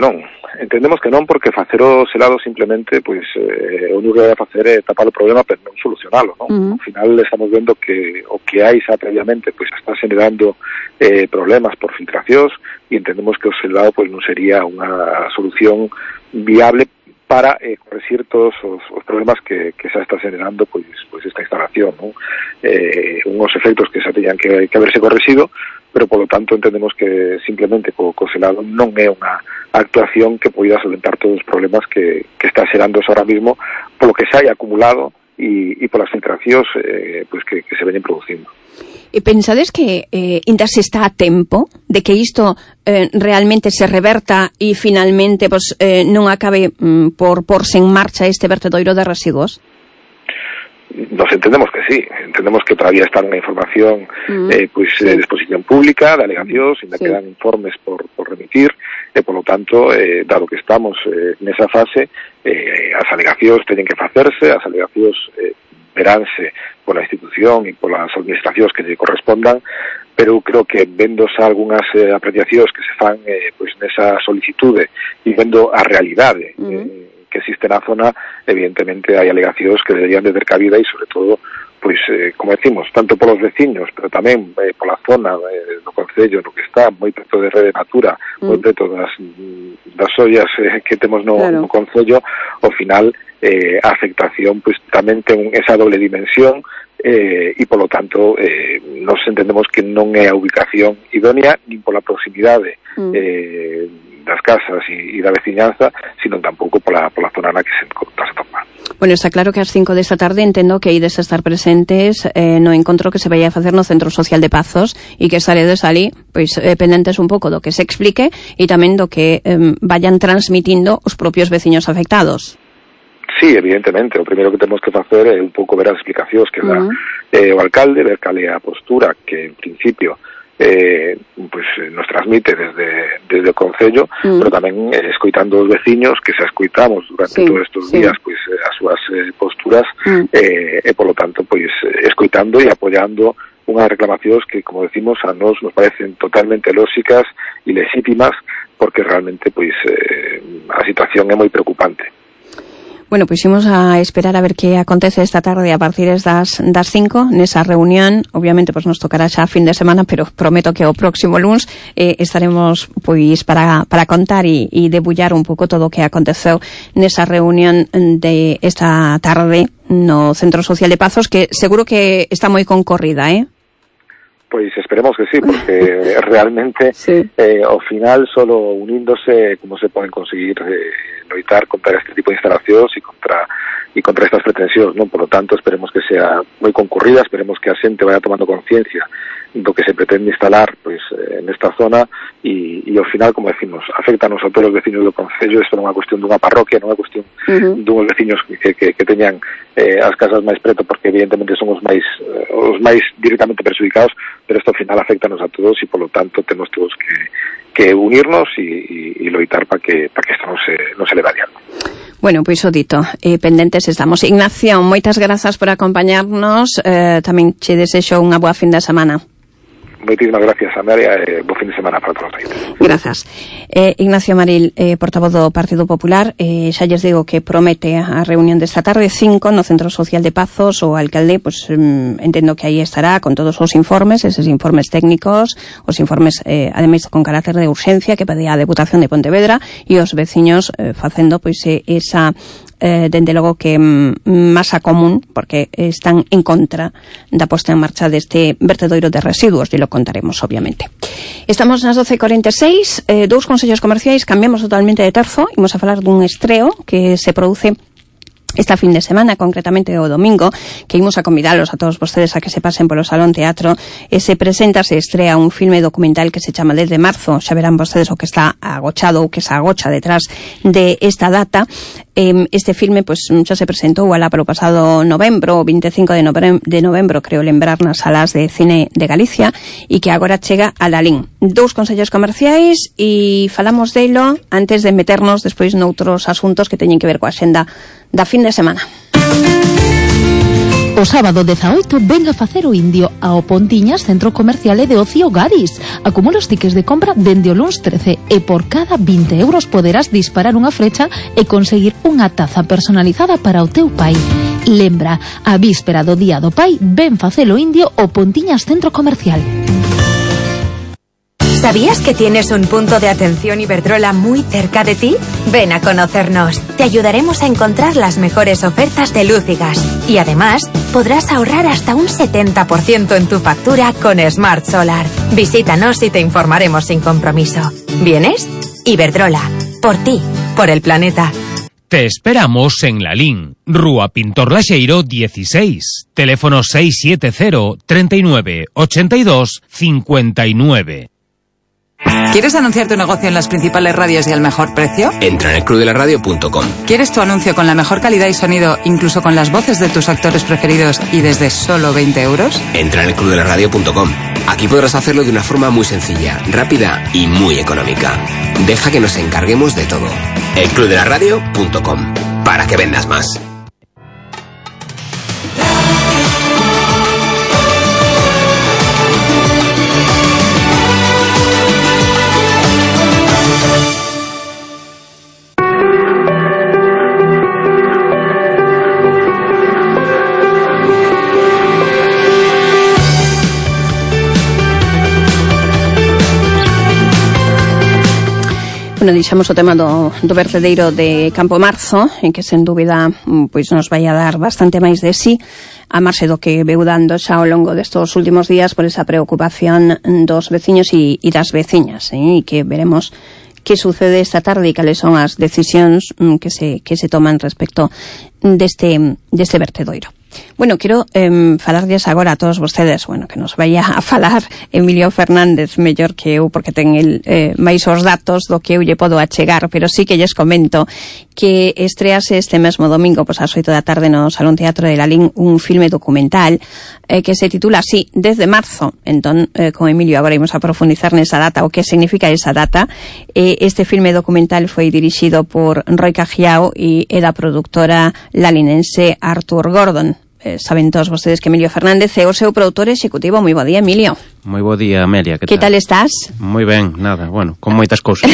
non porque facer o selado simplemente pois o único que vai facer é tapar o problema pero non solucionalo, non? Ao final estamos vendo que o que hai xa previamente pois está generando problemas por filtracións e entendemos que o selado pois non sería unha solución viable para corregir todos os problemas que xa está generando pois esta instalación, non? Unhos efectos que xa teñan que haberse correxido, pero polo tanto entendemos que simplemente co selado non é unha actuación que poida solventar todos os problemas que está xerando ahora mismo polo que xa hai acumulado e polas filtracións pois que se veñen producindo. E pensades que ainda se está a tempo de que isto realmente se reverta e finalmente pues, non acabe por porse en marcha este vertedoiro de residuos? Nos entendemos que sí, entendemos que todavía está unha información pois de exposición pública, de alegacións, ainda quedan informes por remitir, e polo tanto, dado que estamos nesa fase, as alegacións teñen que facerse, as alegacións veránse pola institución e polas administracións que lle correspondan, pero creo que vendo xa algunhas apreciacións que se fan pois nesa solicitude e vendo a realidade que existe na zona, evidentemente hai alegacións que deberían de ter cabida e, sobre todo, pois, como decimos, tanto polos veciños, pero tamén pola zona do concello no que está, moi preto de Rede Natura, moi preto das ollas que temos no concello, ao final a afectación pois tamén ten esa doble dimensión e, polo tanto, nos entendemos que non é a ubicación idónea, nin pola proximidade das casas e da veciñanza, sino tampouco pola zona na que se topa. Bueno, está claro que ás 5 desta tarde entendo que ides a estar presentes no encontro que se vai a facer no Centro Social de Pazos e que saredes ali, pois, pendentes un pouco do que se explique e tamén do que vayan transmitindo os propios veciños afectados. Sí, evidentemente, o primeiro que temos que facer é un pouco ver as explicacións que dá o alcalde, ver cal é a postura que en principio pues nos transmite desde o concello, pero tamén escoitando os veciños que se escoitamos durante todos estes días pois as súas posturas e polo tanto pois escoitando e apoiando unhas reclamacións que, como decimos, a nos parecen totalmente lóxicas e legítimas porque realmente pois a situación é moi preocupante. Bueno, pois imos a esperar a ver que acontece esta tarde a partir das 5 nesa reunión. Obviamente, pois nos tocará xa a fin de semana, pero prometo que o próximo luns estaremos pois para contar e debullar un pouco todo o que aconteceu nesa reunión de esta tarde no Centro Social de Pazos, que seguro que está moi concorrida, Pois esperemos que sí, porque realmente ao final solo uníndose como se poden conseguir loitar contra este tipo de instalacións e contra estas pretensións, non? Por lo tanto, esperemos que sea moi concurrida, esperemos que a xente vaya tomando conciencia do que se pretende instalar pois nesta zona e ao final, como decimos, afectanos a todos os veciños do concello. Isto non é unha cuestión dunha parroquia, non é cuestión dunhos veciños que teñan as casas máis preto, porque evidentemente son os máis directamente perjudicados, pero isto ao final afectanos a todos e, polo tanto, temos todos que unirnos e loitar para que isto non se leve adiante. Bueno, pois o dito, pendentes estamos. Ignacio, moitas grazas por acompañarnos, tamén che desexo unha boa fin de semana. Moitísimas gracias, Amelia, bo fin de semana para todos. Grazas. Ignacio Maril, portavoz do Partido Popular, xa lles digo que promete a reunión desta tarde 5 no Centro Social de Pazos. O alcalde, pues entendo que aí estará con todos os informes, eses informes técnicos, os informes ademais con carácter de urxencia que pedía a Deputación de Pontevedra, e os veciños facendo pois esa dende logo que masa común, porque están en contra da posta en marcha deste vertedoiro de residuos, e lo contaremos obviamente. Estamos nas 12:46, dous consellos comerciais, cambiamos totalmente de terzo, imos a falar dun estreo que se produce esta fin de semana, concretamente o domingo, que imos a convidalos a todos vostedes a que se pasen polo Salón Teatro. Se estrea un filme documental que se chama Desde Marzo. Xa verán vostedes o que está agochado ou que se agocha detrás de esta data. Este filme pois xa se presentou alá para o pasado novembro, o 25 de novembro, creo lembrar, nas salas de cine de Galicia, e que agora chega a Lalín. Dous consellos comerciais e falamos delo antes de meternos despois noutros asuntos que teñen que ver coa xenda da fin de semana. O sábado 18 venga a facer o indio ao Pontiñas Centro Comercial de Ocio Gadis. Acumula os tickets de compra dende o luns 13 e por cada 20 euros poderás disparar unha flecha e conseguir unha taza personalizada para o teu pai. Lembra, a víspera do Día do Pai, ven facelo indio ao Pontiñas Centro Comercial. ¿Sabías que tienes un punto de atención Iberdrola muy cerca de ti? Ven a conocernos. Te ayudaremos a encontrar las mejores ofertas de luz y gas. Y además, podrás ahorrar hasta un 70% en tu factura con Smart Solar. Visítanos y te informaremos sin compromiso. ¿Vienes? Iberdrola. Por ti. Por el planeta. Te esperamos en Lalín, Rúa Pintor Laxeiro 16, teléfono 670 39 82 59. ¿Quieres anunciar tu negocio en las principales radios y al mejor precio? Entra en elclubdelaradio.com. ¿Quieres tu anuncio con la mejor calidad y sonido, incluso con las voces de tus actores preferidos y desde solo 20 euros? Entra en elclubdelaradio.com. Aquí podrás hacerlo de una forma muy sencilla, rápida y muy económica. Deja que nos encarguemos de todo. elclubdelaradio.com. Para que vendas más. Bueno, deixamos o tema do vertedeiro de Campo Marzo, en que sen dúbida pois nos vai a dar bastante máis de sí, a marxe do que veu dando xa ao longo destos últimos días por esa preocupación dos veciños e das veciñas, e que veremos que sucede esta tarde e cales son as decisións que se toman respecto deste vertedoiro. Bueno, quero falarlles agora a todos vostedes, bueno, que nos vaya a falar Emilio Fernández mellor que eu, porque ten el máis os datos do que eu lle podo achegar, pero sí que lles comento que estrease este mesmo domingo, pois ás 8 da tarde no Salón Teatro de Lalín, un filme documental que se titula así, Desde Marzo. Entón, con Emilio agora imos a profundizar nesa data, o que significa esa data. Este filme documental foi dirixido por Roy Cajiao e é da produtora lalinense Arthur Gordon. Saben todos vostedes que Emilio Fernández é o seu produtor executivo. Moi bo día, Emilio. Moi bo día, Amelia. Que tal estás? Moi ben, nada, bueno, con moitas cousas.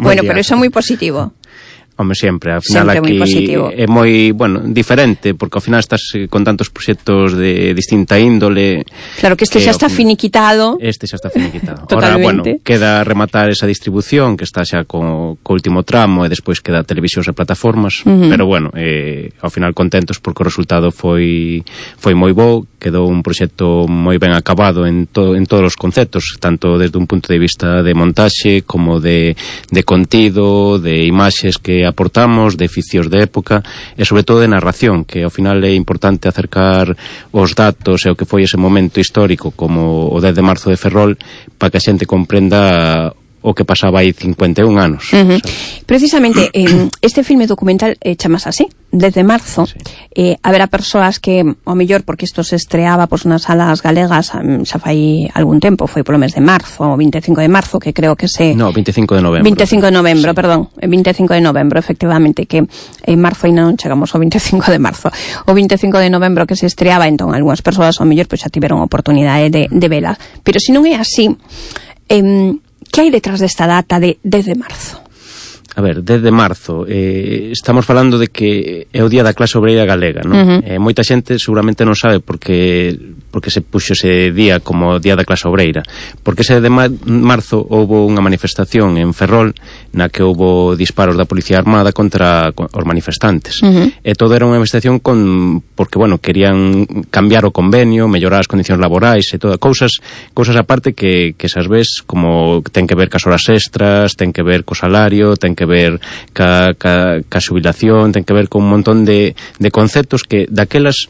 Bueno, pero iso é moi positivo. Home, sempre, ao final sempre aquí é moi, bueno, diferente, porque ao final estás con tantos proxectos de distinta índole. Claro que este xa está finiquitado. Este xa está finiquitado. Ahora, bueno, queda rematar esa distribución, que está xa co último tramo, e despois queda televisións e plataformas, pero bueno, ao final contentos porque o resultado foi moi bo, quedou un proxecto moi ben acabado en todos os conceptos, tanto desde un punto de vista de montaxe, como de contido, de imaxes que aportamos, de ficios de época e sobre todo de narración, que ao final é importante acercar os datos e o que foi ese momento histórico como o 10 de marzo de Ferrol para que a xente comprenda o que pasaba aí 51 anos. Precisamente, este filme documental chamas así, 10 de marzo. Haberá persoas que, ao mellor, porque isto se estreaba nas salas galegas xa fai algún tempo, foi polo mes de marzo, o 25 de marzo, que creo que se... No, 25 de novembro. 25 de novembro, sí. Perdón, 25 de novembro, efectivamente, que en marzo ainda non chegamos ao 25 de marzo. O 25 de novembro que se estreaba, entón, algunhas persoas, ao mellor, xa tiveron a oportunidade de vela. Pero se non é así... que hai detrás desta data de 10 de marzo? A ver, 10 de marzo, estamos falando de que é o día da clase obreira galega, non? Moita xente seguramente non sabe porque se puxo ese día como día da clase obreira. Porque ese de marzo houve unha manifestación en Ferrol na que houve disparos da Policía Armada contra os manifestantes. E todo era unha manifestación porque, bueno, querían cambiar o convenio, mellorar as condicións laborais e todas cousas aparte que esas ves como ten que ver cas horas extras, ten que ver co salario, ten que ver ca xubilación, ten que ver con un montón de conceptos que daquelas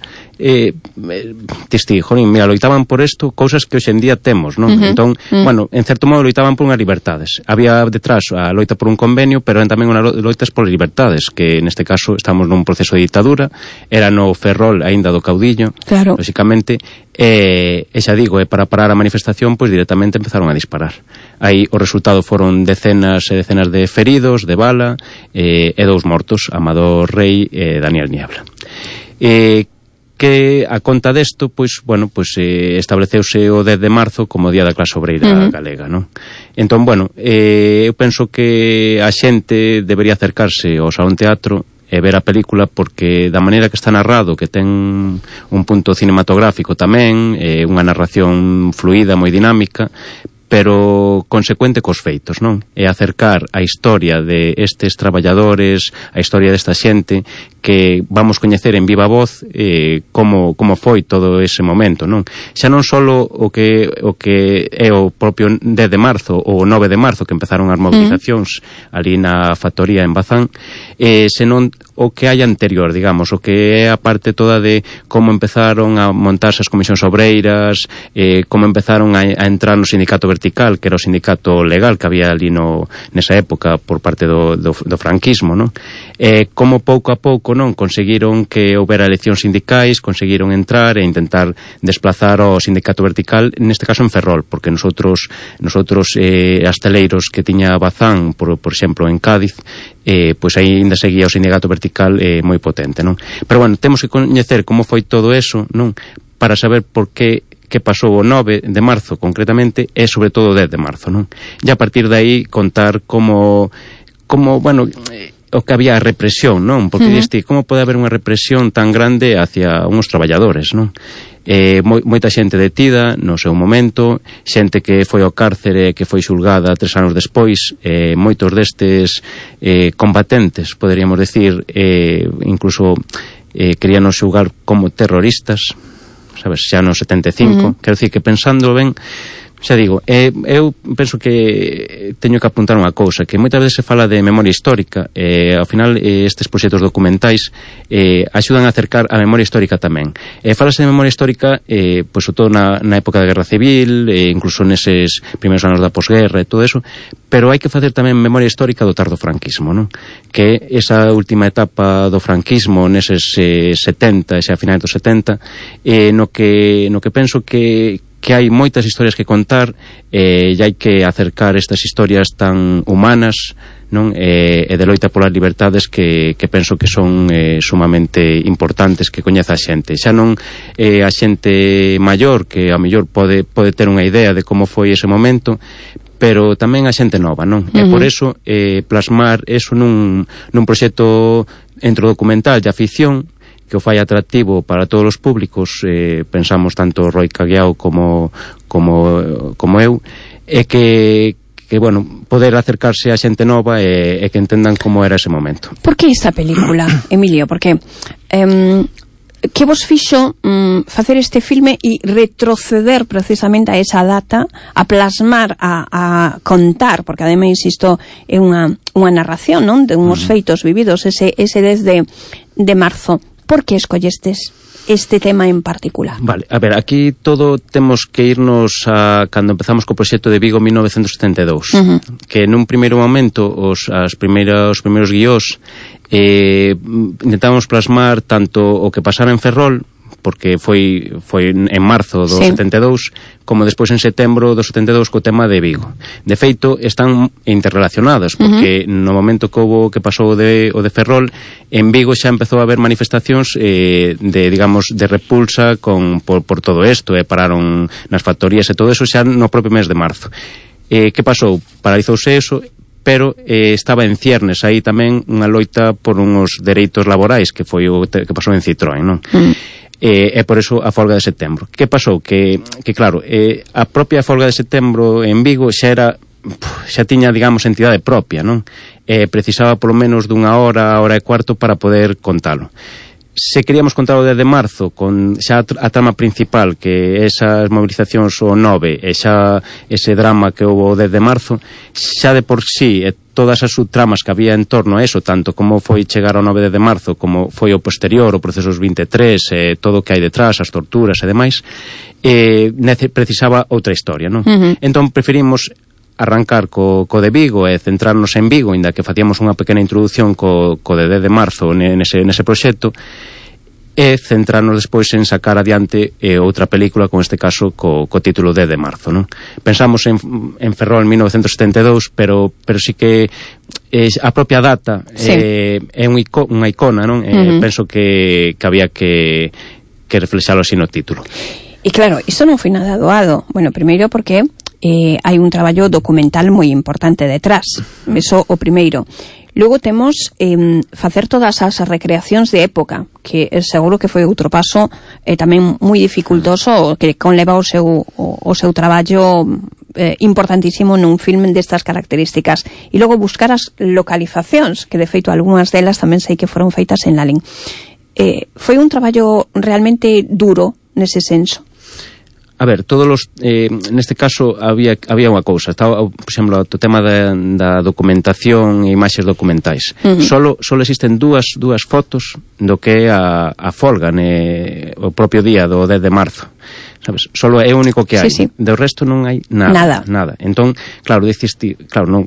mira, loitaban por isto cousas que hoxe en día temos, non? Entón, bueno, en certo modo loitaban por unhas libertades. Había detrás a loita por un convenio, pero tamén unhas loitas por libertades, que neste caso estamos nun proceso de ditadura, era no Ferrol aínda do caudillo, claro. Lóxicamente, e xa digo, para parar a manifestación, pois directamente empezaron a disparar. Aí o resultado foron decenas e decenas de feridos, de bala, e 2 mortos, Amador Rei e Daniel Niebla. Que a conta desto, pois, bueno, pois estableceuse o 10 de marzo como Día da Clase Obreira Galega, non? Entón, bueno, eu penso que a xente debería acercarse ao Salón Teatro e ver a película porque da maneira que está narrado, que ten un punto cinematográfico tamén, unha narración fluida, moi dinámica, pero consecuente cos feitos, non? E acercar a historia de estes traballadores, a historia desta xente que vamos coñecer en viva voz como foi todo ese momento, non? Xa non só o que é o propio 10 de marzo ou o 9 de marzo que empezaron as movilizacións ali na factoría en Bazán, senón o que hai anterior, digamos, o que é a parte toda de como empezaron a montarse as comisións obreiras, como empezaron a entrar no sindicato vertical, que era o sindicato legal que había ali nesa época por parte do franquismo, non? Como pouco a pouco, non, conseguiron que houbera eleccións sindicais, conseguiron entrar e intentar desplazar o sindicato vertical, neste caso en Ferrol, porque nosotros asteleiros que tiña Bazán, por exemplo, en Cádiz, pois aí ainda seguía o sindicato vertical moi potente, non? Pero bueno, temos que coñecer como foi todo eso, non? Para saber por que pasou o 9 de marzo concretamente e sobre todo o 10 de marzo, non? E a partir de aí contar como bueno, o que había represión, non? Porque diste, como pode haber unha represión tan grande hacia uns traballadores, non? Moita xente detida no seu momento, xente que foi ao cárcere, que foi xulgada 3 anos despois, moitos destes combatentes, poderíamos decir, incluso queríanos xulgar como terroristas, sabes, xa no 75, quero dicir que pensando ben, xa digo, eu penso que teño que apuntar unha cousa, que moitas veces se fala de memoria histórica, ao final estes proxectos documentais axudan a acercar a memoria histórica tamén. Falase de memoria histórica, pois, sobre todo na época da Guerra Civil, incluso neses primeiros anos da posguerra e todo eso, pero hai que facer tamén memoria histórica do tardofranquismo, non? Que esa última etapa do franquismo neses 70, xa a finais dos 70, no que penso que hai moitas historias que contar e hai que acercar estas historias tan humanas, non? E de loita polas libertades que penso que son sumamente importantes que coñeza a xente. Xa non a xente maior que a mellor pode ter unha idea de como foi ese momento, pero tamén a xente nova, non? E por eso plasmar eso nun proxecto entrodocumental de afición que o fai atractivo para todos os públicos, pensamos tanto Roi Caguiao como eu, é que bueno, poder acercarse a xente nova e que entendan como era ese momento. Por que esta película, Emilio? Porque que vos fixo facer este filme e retroceder precisamente a esa data, a plasmar, a contar, porque ademais, insisto, é unha narración, non? De unhos feitos vividos, ese 10 de marzo. Por que escollestes este tema en particular? Vale, a ver, aquí todo temos que irnos a cando empezamos co proxecto de Vigo en 1972, que nun primeiro momento os primeiros guiós intentamos plasmar tanto o que pasara en Ferrol, porque foi en marzo do 72, como despois en setembro do 72 co tema de Vigo. De feito, están interrelacionados, porque no momento que pasou o de Ferrol, en Vigo xa empezou a haber manifestacións de repulsa por todo isto, pararon nas factorías e todo eso xa no propio mes de marzo. Que pasou? Paralizouse eso, pero estaba en ciernes aí tamén unha loita por uns dereitos laborais, que foi o que pasou en Citroën, non? E por eso a folga de setembro. Que pasou? Que claro, a propia folga de setembro en Vigo xa tiña, digamos, entidade propia, non? Precisaba polo menos dunha hora e cuarto para poder contalo. Se queríamos contar o 10 de marzo con xa a trama principal, que esas movilizacións o 9 e xa ese drama que houve o 10 de marzo, xa de por sí todas as subtramas que había en torno a eso, tanto como foi chegar ao 9 de marzo, como foi o posterior, o procesos 23, todo o que hai detrás, as torturas e demais, precisaba outra historia, non? Entón preferimos arrancar co de Vigo e centrarnos en Vigo, inda que facíamos unha pequena introducción co de 10 de marzo nese proxecto, e centrarnos despois en sacar adiante outra película, con este caso co título 10 de marzo, non? Pensamos en Ferrol 1972, pero sí que a propia data é unha icona, non? Penso que había que reflexalo así no título. E claro, isto non foi nada doado. Bueno, primeiro porque hai un traballo documental moi importante detrás. Eso o primeiro. Logo temos facer todas as recreacións de época, que seguro que foi outro paso tamén moi dificultoso, que conleva o seu traballo importantísimo nun filme destas características. E logo buscar as localizacións, que de feito algunhas delas tamén sei que foron feitas en Lalín. Foi un traballo realmente duro nese senso. A ver, neste caso había unha cousa, estaba, por exemplo, o tema da documentación e imaxes documentais. Solo existen dúas fotos do que é a folga o propio día do 10 de marzo. Sabes? Solo é o único que hai. Do resto non hai nada. Entón, claro,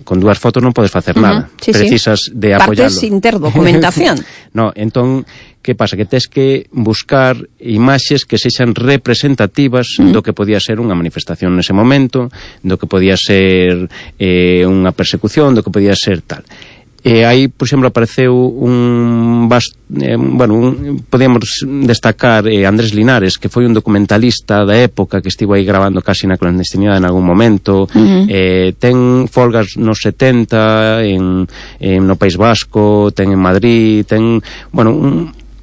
con dúas fotos non podes facer nada. Precisas de apoiarlo. Partes interdocumentación. No, entón, que pasa? Que tes que buscar imaxes que sexan representativas do que podía ser unha manifestación nese momento, do que podía ser unha persecución, do que podía ser tal. Aí, por exemplo, apareceu podíamos destacar Andrés Linares, que foi un documentalista da época que estivo aí grabando casi na clandestinidade en algún momento. Ten folgas nos 70 no País Vasco, ten en Madrid, ten,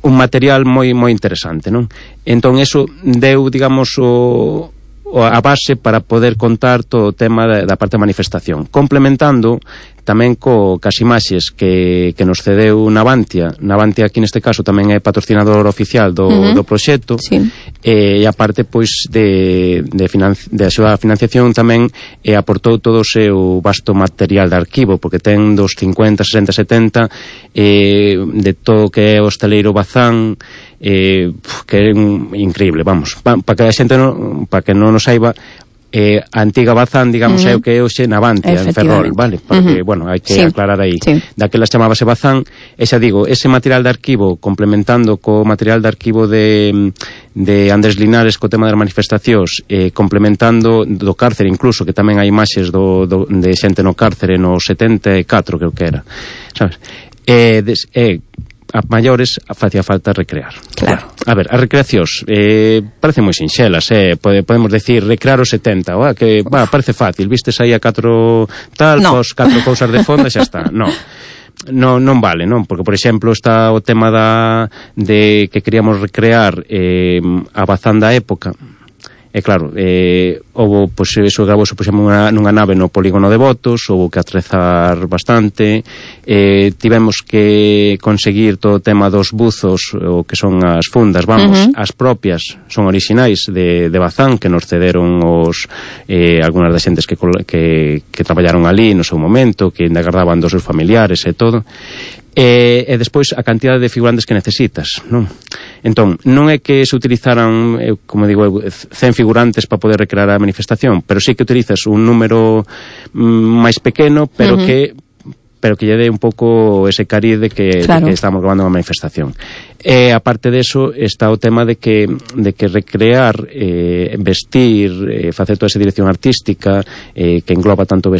un material moi interesante, non? Entón, eso deu, digamos, a base para poder contar todo o tema da parte da manifestación, complementando tamén cas imaxes que nos cedeu Navantia. Navantia aquí neste caso tamén é patrocinador oficial do proxecto, e a parte pois de a súa financiación tamén aportou todo o seu vasto material de arquivo, porque ten dos 50, 60, 70 de todo o que é o hostaleiro Bazán, que é increíble, vamos, para que a xente para que non nos saiba, a antiga Bazán, digamos, é o que é hoxe Navantia en Ferrol, vale? Porque, hai que aclarar aí. Daquela chamábase Bazán, e xa digo, ese material de arquivo complementando co material de arquivo de Andrés Linares co tema das manifestacións, complementando do cárcere incluso, que tamén hai imaxes de xente no cárcere no 74, creo que era, sabes? A maiores facía falta recrear. Claro. A ver, as recreacións parecen moi sinxelas, podemos decir recrear os 70, que parece fácil, vistes aí a 4 tal, pos 4 cousas de fondo e xa está. Non vale, non? Porque, por exemplo, está o tema de que queríamos recrear a Bazán da época. E claro, houve, pois, eso gravouse, por exemplo, nunha nave no polígono de Botos, houve que atrezar bastante, tivemos que conseguir todo o tema dos buzos, o que son as fundas, as propias, son orixinais de Bazán, que nos cederon algunas das xentes que traballaron ali no seu momento, que ainda guardaban dos seus familiares e todo. E despois a cantidade de figurantes que necesitas, non? Entón, non é que se utilizaran, como digo, 100 figurantes para poder recrear a manifestación, pero sí que utilizas un número máis pequeno, pero que lle dé un pouco ese cariz de que estamos grabando unha manifestación. E aparte deso está o tema de que recrear, vestir, facer toda esa dirección artística que engloba tanto